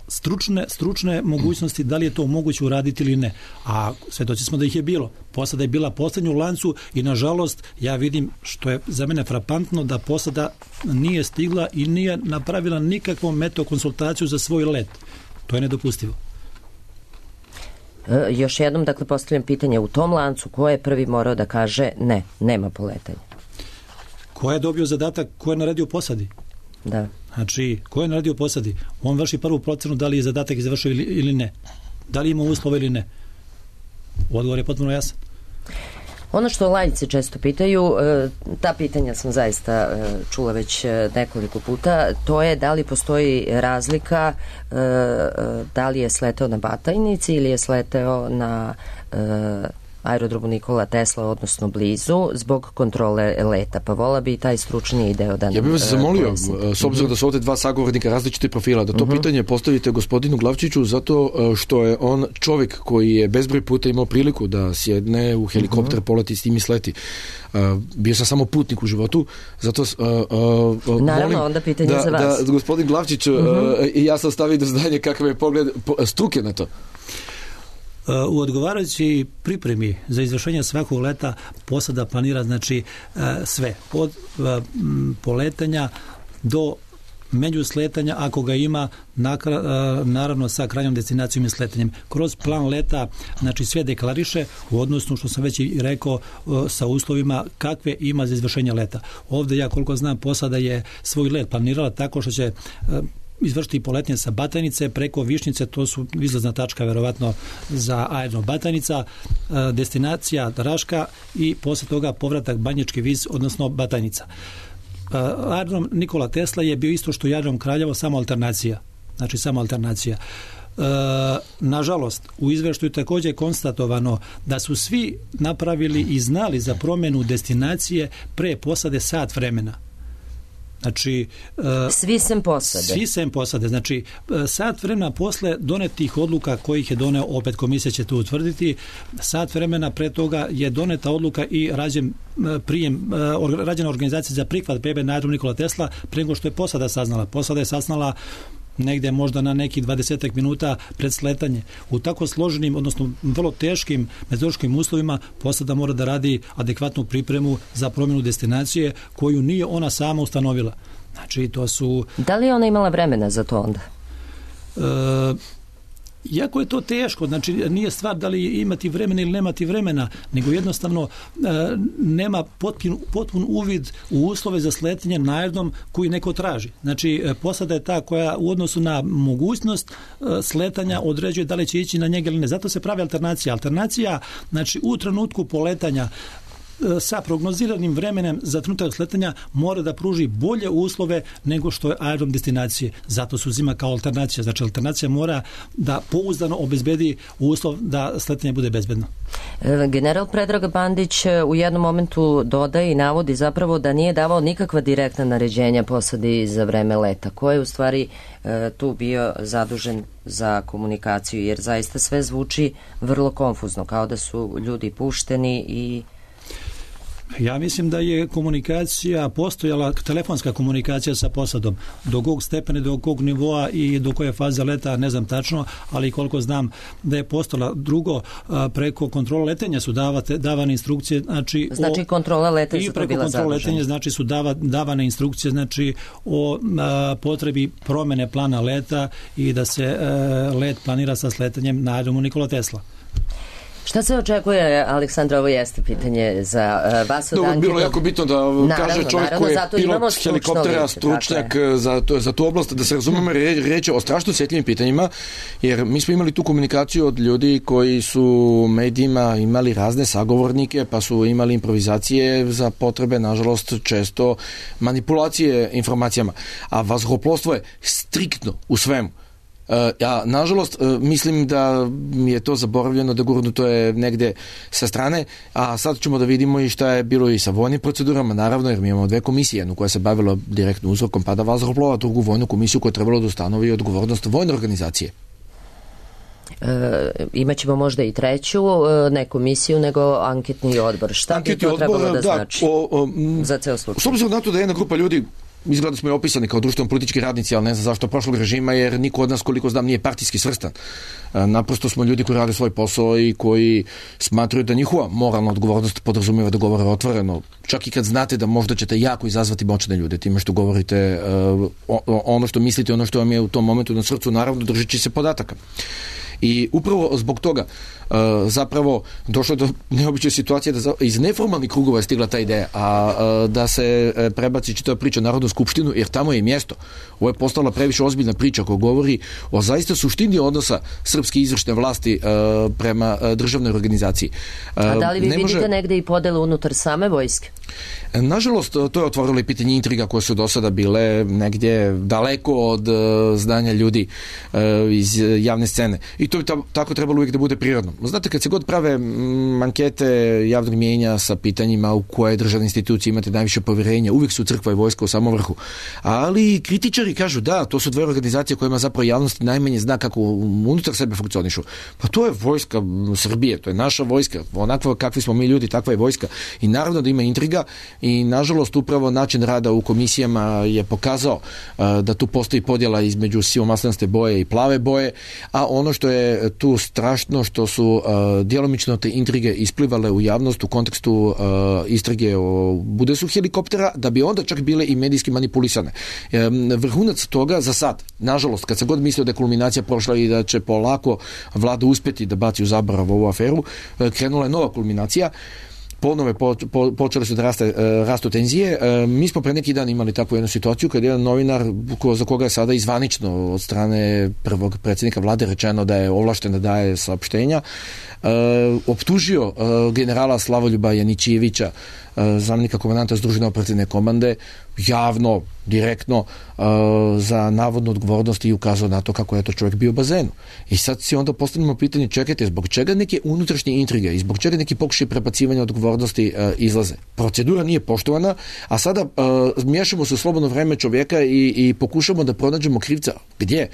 stručne, stručne mogućnosti, da li je to moguće uraditi ili ne. A svedoci smo da ih je bilo. Posada je bila poslednja u lancu i, nažalost, ja vidim, što je za mene frapantno, da posada nije stigla i nije napravila nikakvu meteokonsultaciju za svoj let. To je nedopustivo. E, još jednom, dakle, postavljam pitanje, u tom lancu ko je prvi morao da kaže ne, nema poletanja? Ko je dobio zadatak, ko je naredio posadi? Da. Znači, ko je naredio posadi? On vrši prvu procenu da li je zadatak izvršio ili, ili ne. Da li ima uslova ili ne. Odgovor je potpuno jasan. Ono što laici često pitaju, ta pitanja sam zaista čula već nekoliko puta, to je da li postoji razlika, da li je sleteo na Batajnici ili je sleteo na aerodromu Nikola Tesla, odnosno blizu, zbog kontrole leta. Pa vola bi taj stručniji deo da... Ja bih vas zamolio, s obzirom da su ovde dva sagovornika različite profila, da to uh-huh. pitanje postavite gospodinu Glavčiću, zato što je on čovjek koji je bezbroj puta imao priliku da sjedne u helikopter, uh-huh. poleti s tim i sleti. Uh, bio sam samo putnik u životu, zato uh, uh, naravno, molim onda pitanje da, za vas. da gospodin Glavčić uh-huh. uh, i ja sam stavio do znanja kakav je pogled struke na to. U odgovarajući pripremi za izvršenje svakog leta posada planira znači sve od poletanja do međusletanja ako ga ima, naravno sa krajnjom destinacijom i sletanjem. Kroz plan leta znači sve deklariše u odnosu, što sam već i rekao, sa uslovima kakve ima za izvršenje leta. Ovde ja koliko znam posada je svoj let planirala tako što će izvršiti poletnje sa Batajnice preko Višnjice, to su izlazna tačka verovatno za aerodrom Batajnica, destinacija Raška i posle toga povratak Banjički Vis, odnosno Batajnica. Aerodrom Nikola Tesla je bio isto što i aerodrom Kraljevo, samo alternacija. Znači samo alternacija. nažalost, u izveštaju također je konstatovano da su svi napravili i znali za promjenu destinacije pre posade sat vremena. Znači, svi sem posade. Svi sem posade. Znači, sat vremena posle donetih odluka kojih je doneo, opet komisija će to utvrditi, sat vremena pre toga je doneta odluka i rađen prijem, rađena organizacija za prihvat bebe na aerodromu Nikola Tesla pre nego što je posada saznala. Posada je saznala negde možda na nekih dvadesetak minuta pred sletanje. U tako složenim, odnosno vrlo teškim meteorološkim uslovima posada mora da radi adekvatnu pripremu za promjenu destinacije koju nije ona sama ustanovila. Znači, to su... Da li je ona imala vremena za to onda? E, Iako je to teško, znači nije stvar da li imati vremena ili nemati vremena, nego jednostavno e, nema potpun, potpun uvid u uslove za sletanje na aerodrom koji neko traži. Znači, posada je ta koja u odnosu na mogućnost e, sletanja određuje da li će ići na njega ili ne. Zato se pravi alternacija. Alternacija, znači u trenutku poletanja sa prognoziranim vremenem za trenutak sletanja mora da pruži bolje uslove nego što je aerodrom destinacije. Zato se uzima kao alternacija. Znači, alternacija mora da pouzdano obezbedi uslov da sletanje bude bezbedno. General Predrag Bandić u jednom momentu dodaje i navodi zapravo da nije davao nikakva direktna naređenja posadi za vreme leta. Ko je u stvari tu bio zadužen za komunikaciju? Jer zaista sve zvuči vrlo konfuzno, kao da su ljudi pušteni i... Ja mislim da je komunikacija postojala, telefonska komunikacija sa posadom. Do kog stepene, do kog nivoa i do koje faze leta, ne znam tačno, ali koliko znam da je postojala. Drugo, preko kontrola letenja su davate, davane instrukcije. Znači, znači o, kontrola letenja su to bila kontrola letenja, znači su dava, davane instrukcije znači o a, potrebi promene plana leta i da se a, let planira sa sletanjem na aerodromu Nikola Tesla. Šta se očekuje, Aleksandra, ovo jeste pitanje za uh, vas od Anketa? Bilo je jako bitno da naravno, kaže čovjek koji je pilot helikoptera, stručnjak za, za tu oblast, da se razumemo reći o strašno osjetljivim pitanjima, jer mi smo imali tu komunikaciju od ljudi koji su medijima imali razne sagovornike, pa su imali improvizacije za potrebe, nažalost, često manipulacije informacijama. A vazduhoplovstvo je striktno u svemu. Ja, nažalost, mislim da je to zaboravljeno, da gurnuto je negde sa strane, a sad ćemo da vidimo i šta je bilo i sa vojnim procedurama, naravno, jer mi imamo dve komisije, jednu koja se bavila direktno uzrokom pada vazduhoplova, drugu vojnu komisiju koja je trebala da ustanovi odgovornost vojne organizacije. E, imaćemo možda i treću, ne komisiju, nego anketni odbor. Šta anketni bi to odbor, trebalo da, da znači o, o, za ceo slučaj? S obzirom na to da je jedna grupa ljudi, izgleda smo je opisani kao društveno politički radnici, ali ne znam zašto prošlog režima, jer niko od nas, koliko znam, nije partijski svrstan. Naprosto smo ljudi koji rade svoj posao i koji smatruju da njihova moralna odgovornost podrazumijeva da govore otvoreno. Čak i kad znate da možda ćete jako izazvati moćne ljude time što govorite uh, ono što mislite, ono što vam je u tom momentu na srcu, naravno držeći se podataka. I upravo zbog toga uh, zapravo došlo do neobične situacije da za, iz neformalnih krugova je stigla ta ideja, a uh, da se uh, prebaci čitava priča Narodnu skupštinu, jer tamo je i mjesto. Ovo je postala previše ozbiljna priča koja govori o zaista suštini odnosa srpske izvršne vlasti uh, prema uh, državnoj organizaciji. Uh, a da li vi ne vidite može... negde i podelu unutar same vojske? Nažalost, to je otvorilo i pitanje intriga koje su do sada bile negdje daleko od uh, znanja ljudi uh, iz javne scene. I to bi ta, tako trebalo uvijek da bude prirodno. Znate, kad se god prave m, ankete javnog mijenja sa pitanjima u koje državne institucije imate najviše povjerenja, uvijek su crkva i vojska u samom vrhu. Ali kritičari kažu da, to su dve organizacije kojima zapravo javnost najmanje zna kako unutar sebe funkcionišu. Pa to je vojska Srbije, to je naša vojska. Onakva kakvi smo mi ljudi, takva je vojska. I naravno da ima intriga i nažalost upravo način rada u komisijama je pokazao uh, da tu postoji podjela između sivomaslenaste boje i plave boje, a ono što je tu strašno što su uh, djelomično te intrige isplivale u javnost u kontekstu uh, istrage o budesu helikoptera, da bi onda čak bile i medijski manipulisane. Um, vrhunac toga za sad, nažalost, kad se god mislio da je kulminacija prošla i da će polako vlada uspjeti da baci u zaborav ovu aferu, uh, krenula je nova kulminacija. Ponove po, po, počele su da raste, uh, rastu tenzije. Uh, mi smo pre neki dan imali takvu jednu situaciju kad je jedan novinar ko, za koga je sada izvanično od strane prvog predsjednika vlade rečeno da je ovlašten da daje saopštenja, uh, optužio uh, generala Slavoljuba Janićijevića, uh, zamjenika komandanta Združene operativne komande, javno, direktno uh, za navodnu odgovornost i ukazao na to kako je to čovjek bio u bazenu. I sad si onda postavimo pitanje, čekajte, zbog čega neke unutrašnje intrige i zbog čega neki pokušaj prebacivanja odgovornosti uh, izlaze? Procedura nije poštovana, a sada uh, miješamo se u slobodno vreme čovjeka i, i pokušamo da pronađemo krivca. Gdje?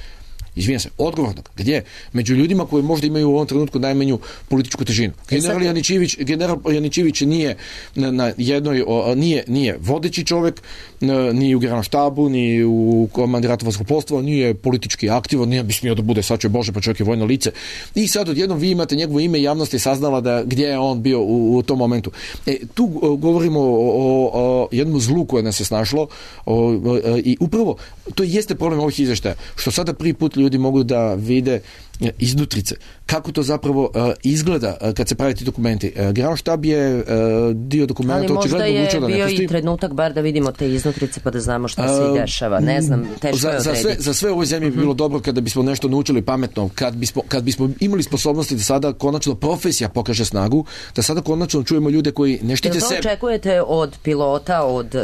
Izvijem se, odgovornog. Gdje? Među ljudima koji možda imaju u ovom trenutku najmanju političku težinu. General Janićević, general Janićević nije na, na jednoj, o, nije, nije vodeći čovjek, ni u Generalštabu, ni u komandiratu vazduhoplovstva, nije politički aktivan, nije bi smio da bude, sad će Bože, pa čovjek je vojno lice. I sad odjednom vi imate njegovo ime i javnost je saznala da gdje je on bio u, u tom momentu. E, tu govorimo o, o, o jednom zlu koje nas je snašlo o, o, i upravo to jeste problem ovih izvještaja, što sada prvi put ljudi mogu da vide iznutrice. Kako to zapravo uh, izgleda uh, kad se pravi ti dokumenti. Uh, Generalštab je uh, dio dokumenta očigledno odlučio da ne pusti. Ali možda je bio i trenutak bar da vidimo te iznutrice pa da znamo šta se uh, dešava. Ne znam, teško za, je odrediti. Za sve, za sve u ovoj zemlji bi bilo dobro kada bismo nešto naučili pametno, kad bismo, kad bismo imali sposobnosti da sada konačno profesija pokaže snagu, da sada konačno čujemo ljude koji ne štite sebe. Jel to očekujete od pilota, od uh,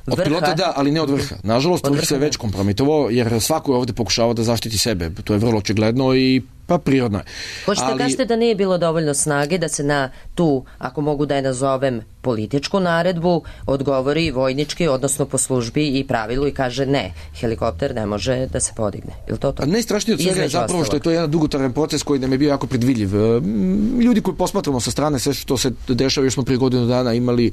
vrha? Od pilota da, ali ne od vrha. Nažalost, vrh se već kompromitovao, jer svako je ovdje pokušava da zaštiti sebe. To je vrlo očigledno i pa prirodno je. Hoćete ali... kažete da nije bilo dovoljno snage da se na tu, ako mogu da je nazovem, političku naredbu odgovori vojnički, odnosno po službi i pravilu i kaže ne, helikopter ne može da se podigne. Je to to? A najstrašnije od svega je zapravo što je to jedan dugotrajan proces koji nam je bio jako predvidljiv. Ljudi koji posmatramo sa strane sve što se dešava, još smo prije godinu dana imali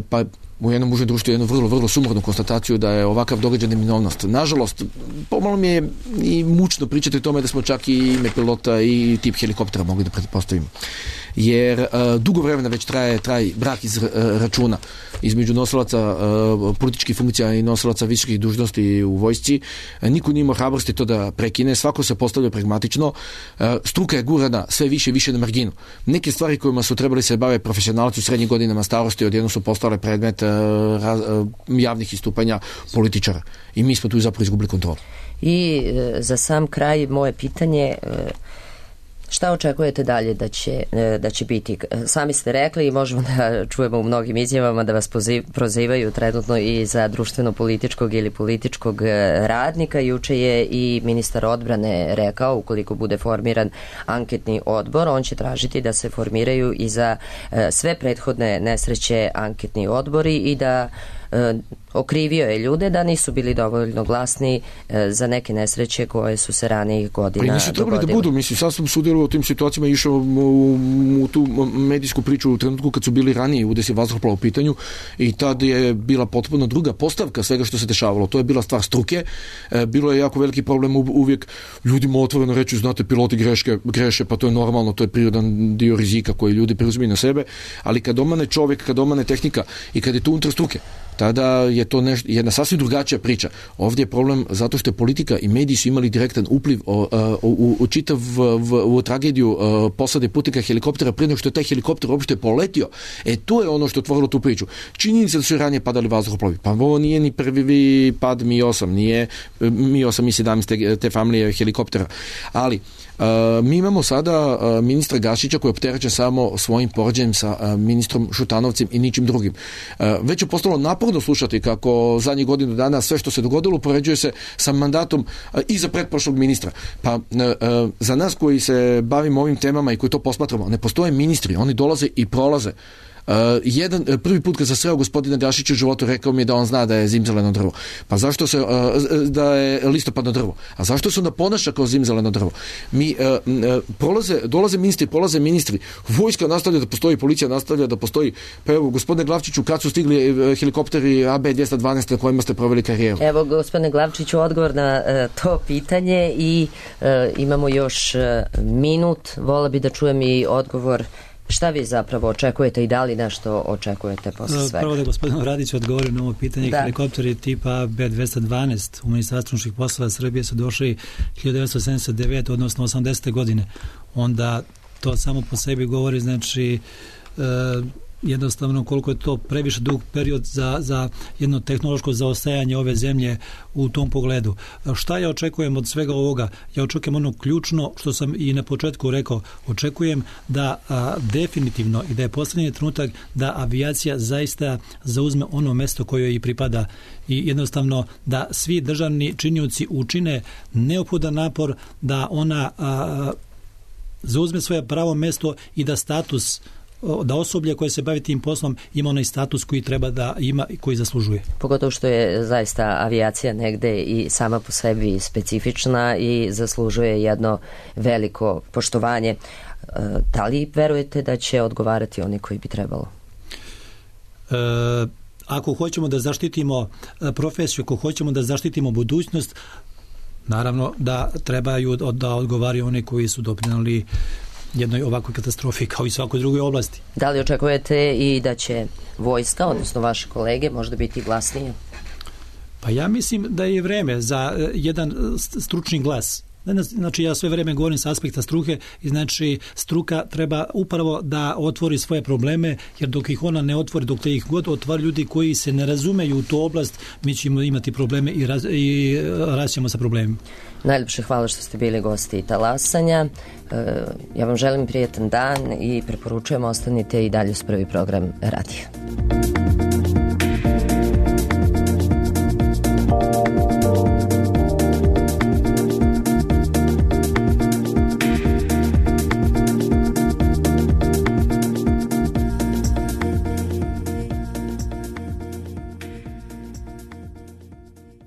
pa u jednom užem društvu jednu vrlo, vrlo sumornu konstataciju da je ovakav događaj neminovnost. Nažalost, pomalo mi je i mučno pričati o tome da smo čak i ime pilota i tip helikoptera mogli da pretpostavimo. Jer uh, dugo vremena već traje, traje brak iz uh, računa između nosilaca uh, političkih funkcija i nosilaca visokih dužnosti u vojsci. Uh, niko nije imao hrabrosti to da prekine, svako se postavlja pragmatično. Uh, struka je gurana sve više i više na marginu. Neke stvari kojima su trebali se bave profesionalci u srednjim godinama starosti odjednom su postale predmet uh, raz, uh, javnih istupanja političara. I mi smo tu zapravo izgubili kontrolu. I uh, za sam kraj moje pitanje, uh, šta očekujete dalje da će, da će biti? Sami ste rekli i možemo da čujemo u mnogim izjavama da vas prozivaju trenutno i za društveno-političkog ili političkog radnika. Juče je i ministar odbrane rekao, ukoliko bude formiran anketni odbor, on će tražiti da se formiraju i za sve prethodne nesreće anketni odbori i da okrivio je ljude da nisu bili dovoljno glasni za neke nesreće koje su se ranijih godina dogodile. Nisu trebali da budu, mislim, sad sam sudjelovao u tim situacijama i išao u, u tu medijsku priču u trenutku kad su bili ranije udesi vazduhoplova u pitanju i tad je bila potpuno druga postavka svega što se dešavalo. To je bila stvar struke, bilo je jako veliki problem uvijek ljudima otvoreno reći, znate, piloti greške, greše, pa to je normalno, to je prirodan dio rizika koji ljudi preuzimaju na sebe, ali kad omane čovjek, kad omane tehnika i kad je to unutar struke, tada je to neš, jedna sasvim drugačija priča. Ovdje je problem zato što je politika i mediji su imali direktan upliv o, o, u, u čitav v, u tragediju o, posade putnika helikoptera prije nego što je taj helikopter uopšte poletio. E, to je ono što je otvorilo tu priču. Činjenica da su ranije padali vazduhoplovi. Pa ovo nije ni prvi pad Mi osam, nije Mi osam, Mi sedamnaest te, te familije helikoptera. Ali Uh, mi imamo sada uh, ministra Gašića koji je opterećen samo svojim poređenjem sa uh, ministrom Šutanovcem i ničim drugim. Uh, već je postalo naporno slušati kako zadnjih godinu dana sve što se dogodilo poređuje se sa mandatom uh, i za pretprošlog ministra. Pa uh, uh, za nas koji se bavimo ovim temama i koji to posmatramo, ne postoje ministri, oni dolaze i prolaze. Uh, jedan, prvi put kad sam sreo gospodina Gašića u životu rekao mi je da on zna da je zimzeleno drvo. Pa zašto se, uh, da je listopadno drvo? A zašto se onda ponaša kao zimzeleno drvo? Mi uh, uh, prolaze, dolaze ministri, prolaze ministri, vojska nastavlja da postoji, policija nastavlja da postoji. Pa evo, gospodine Glavčiću, kad su stigli uh, helikopteri A B dvjesto dvanaest na kojima ste proveli karijeru? Evo, gospodine Glavčiću, odgovor na uh, to pitanje i uh, imamo još uh, minut. Vola bi da čujem i odgovor. Šta vi zapravo očekujete i da li nešto očekujete posle svega? Prvo da gospodinu Radiću odgovorim na ovo pitanje. Da. Helikopteri tipa A B dvjesto dvanaest u Ministarstvu unutrašnjih poslova Srbije su došli hiljadu devetsto sedamdeset devete odnosno osamdesete godine. Onda to samo po sebi govori, znači, e, jednostavno koliko je to previše dug period za, za jedno tehnološko zaostajanje ove zemlje u tom pogledu. Šta ja očekujem od svega ovoga? Ja očekujem ono ključno što sam i na početku rekao, očekujem da a, definitivno i da je posljednji trenutak da avijacija zaista zauzme ono mesto koje joj i pripada i jednostavno da svi državni činioci učine neophodan napor da ona a, zauzme svoje pravo mesto i da status da osoblje koje se bavi tim poslom ima onaj status koji treba da ima i koji zaslužuje. Pogotovo što je zaista avijacija negde i sama po sebi specifična i zaslužuje jedno veliko poštovanje. Da li verujete da će odgovarati oni koji bi trebalo? E, ako hoćemo da zaštitimo profesiju, ako hoćemo da zaštitimo budućnost, naravno da trebaju da odgovaraju oni koji su doprinijeli jednoj ovakvoj katastrofi kao i svakoj drugoj oblasti. Da li očekujete i da će vojska, odnosno vaše kolege, možda biti glasnije? Pa ja mislim da je vreme za jedan stručni glas. Znači ja sve vreme govorim sa aspekta struke i znači struka treba upravo da otvori svoje probleme, jer dok ih ona ne otvori, dok te ih god otvori ljudi koji se ne razumeju u tu oblast, mi ćemo imati probleme i, raz, i raćemo sa problemima. Najljepše hvala što ste bili gosti Talasanja. Ja vam želim prijetan dan i preporučujem ostanite i dalje uz prvi program radija.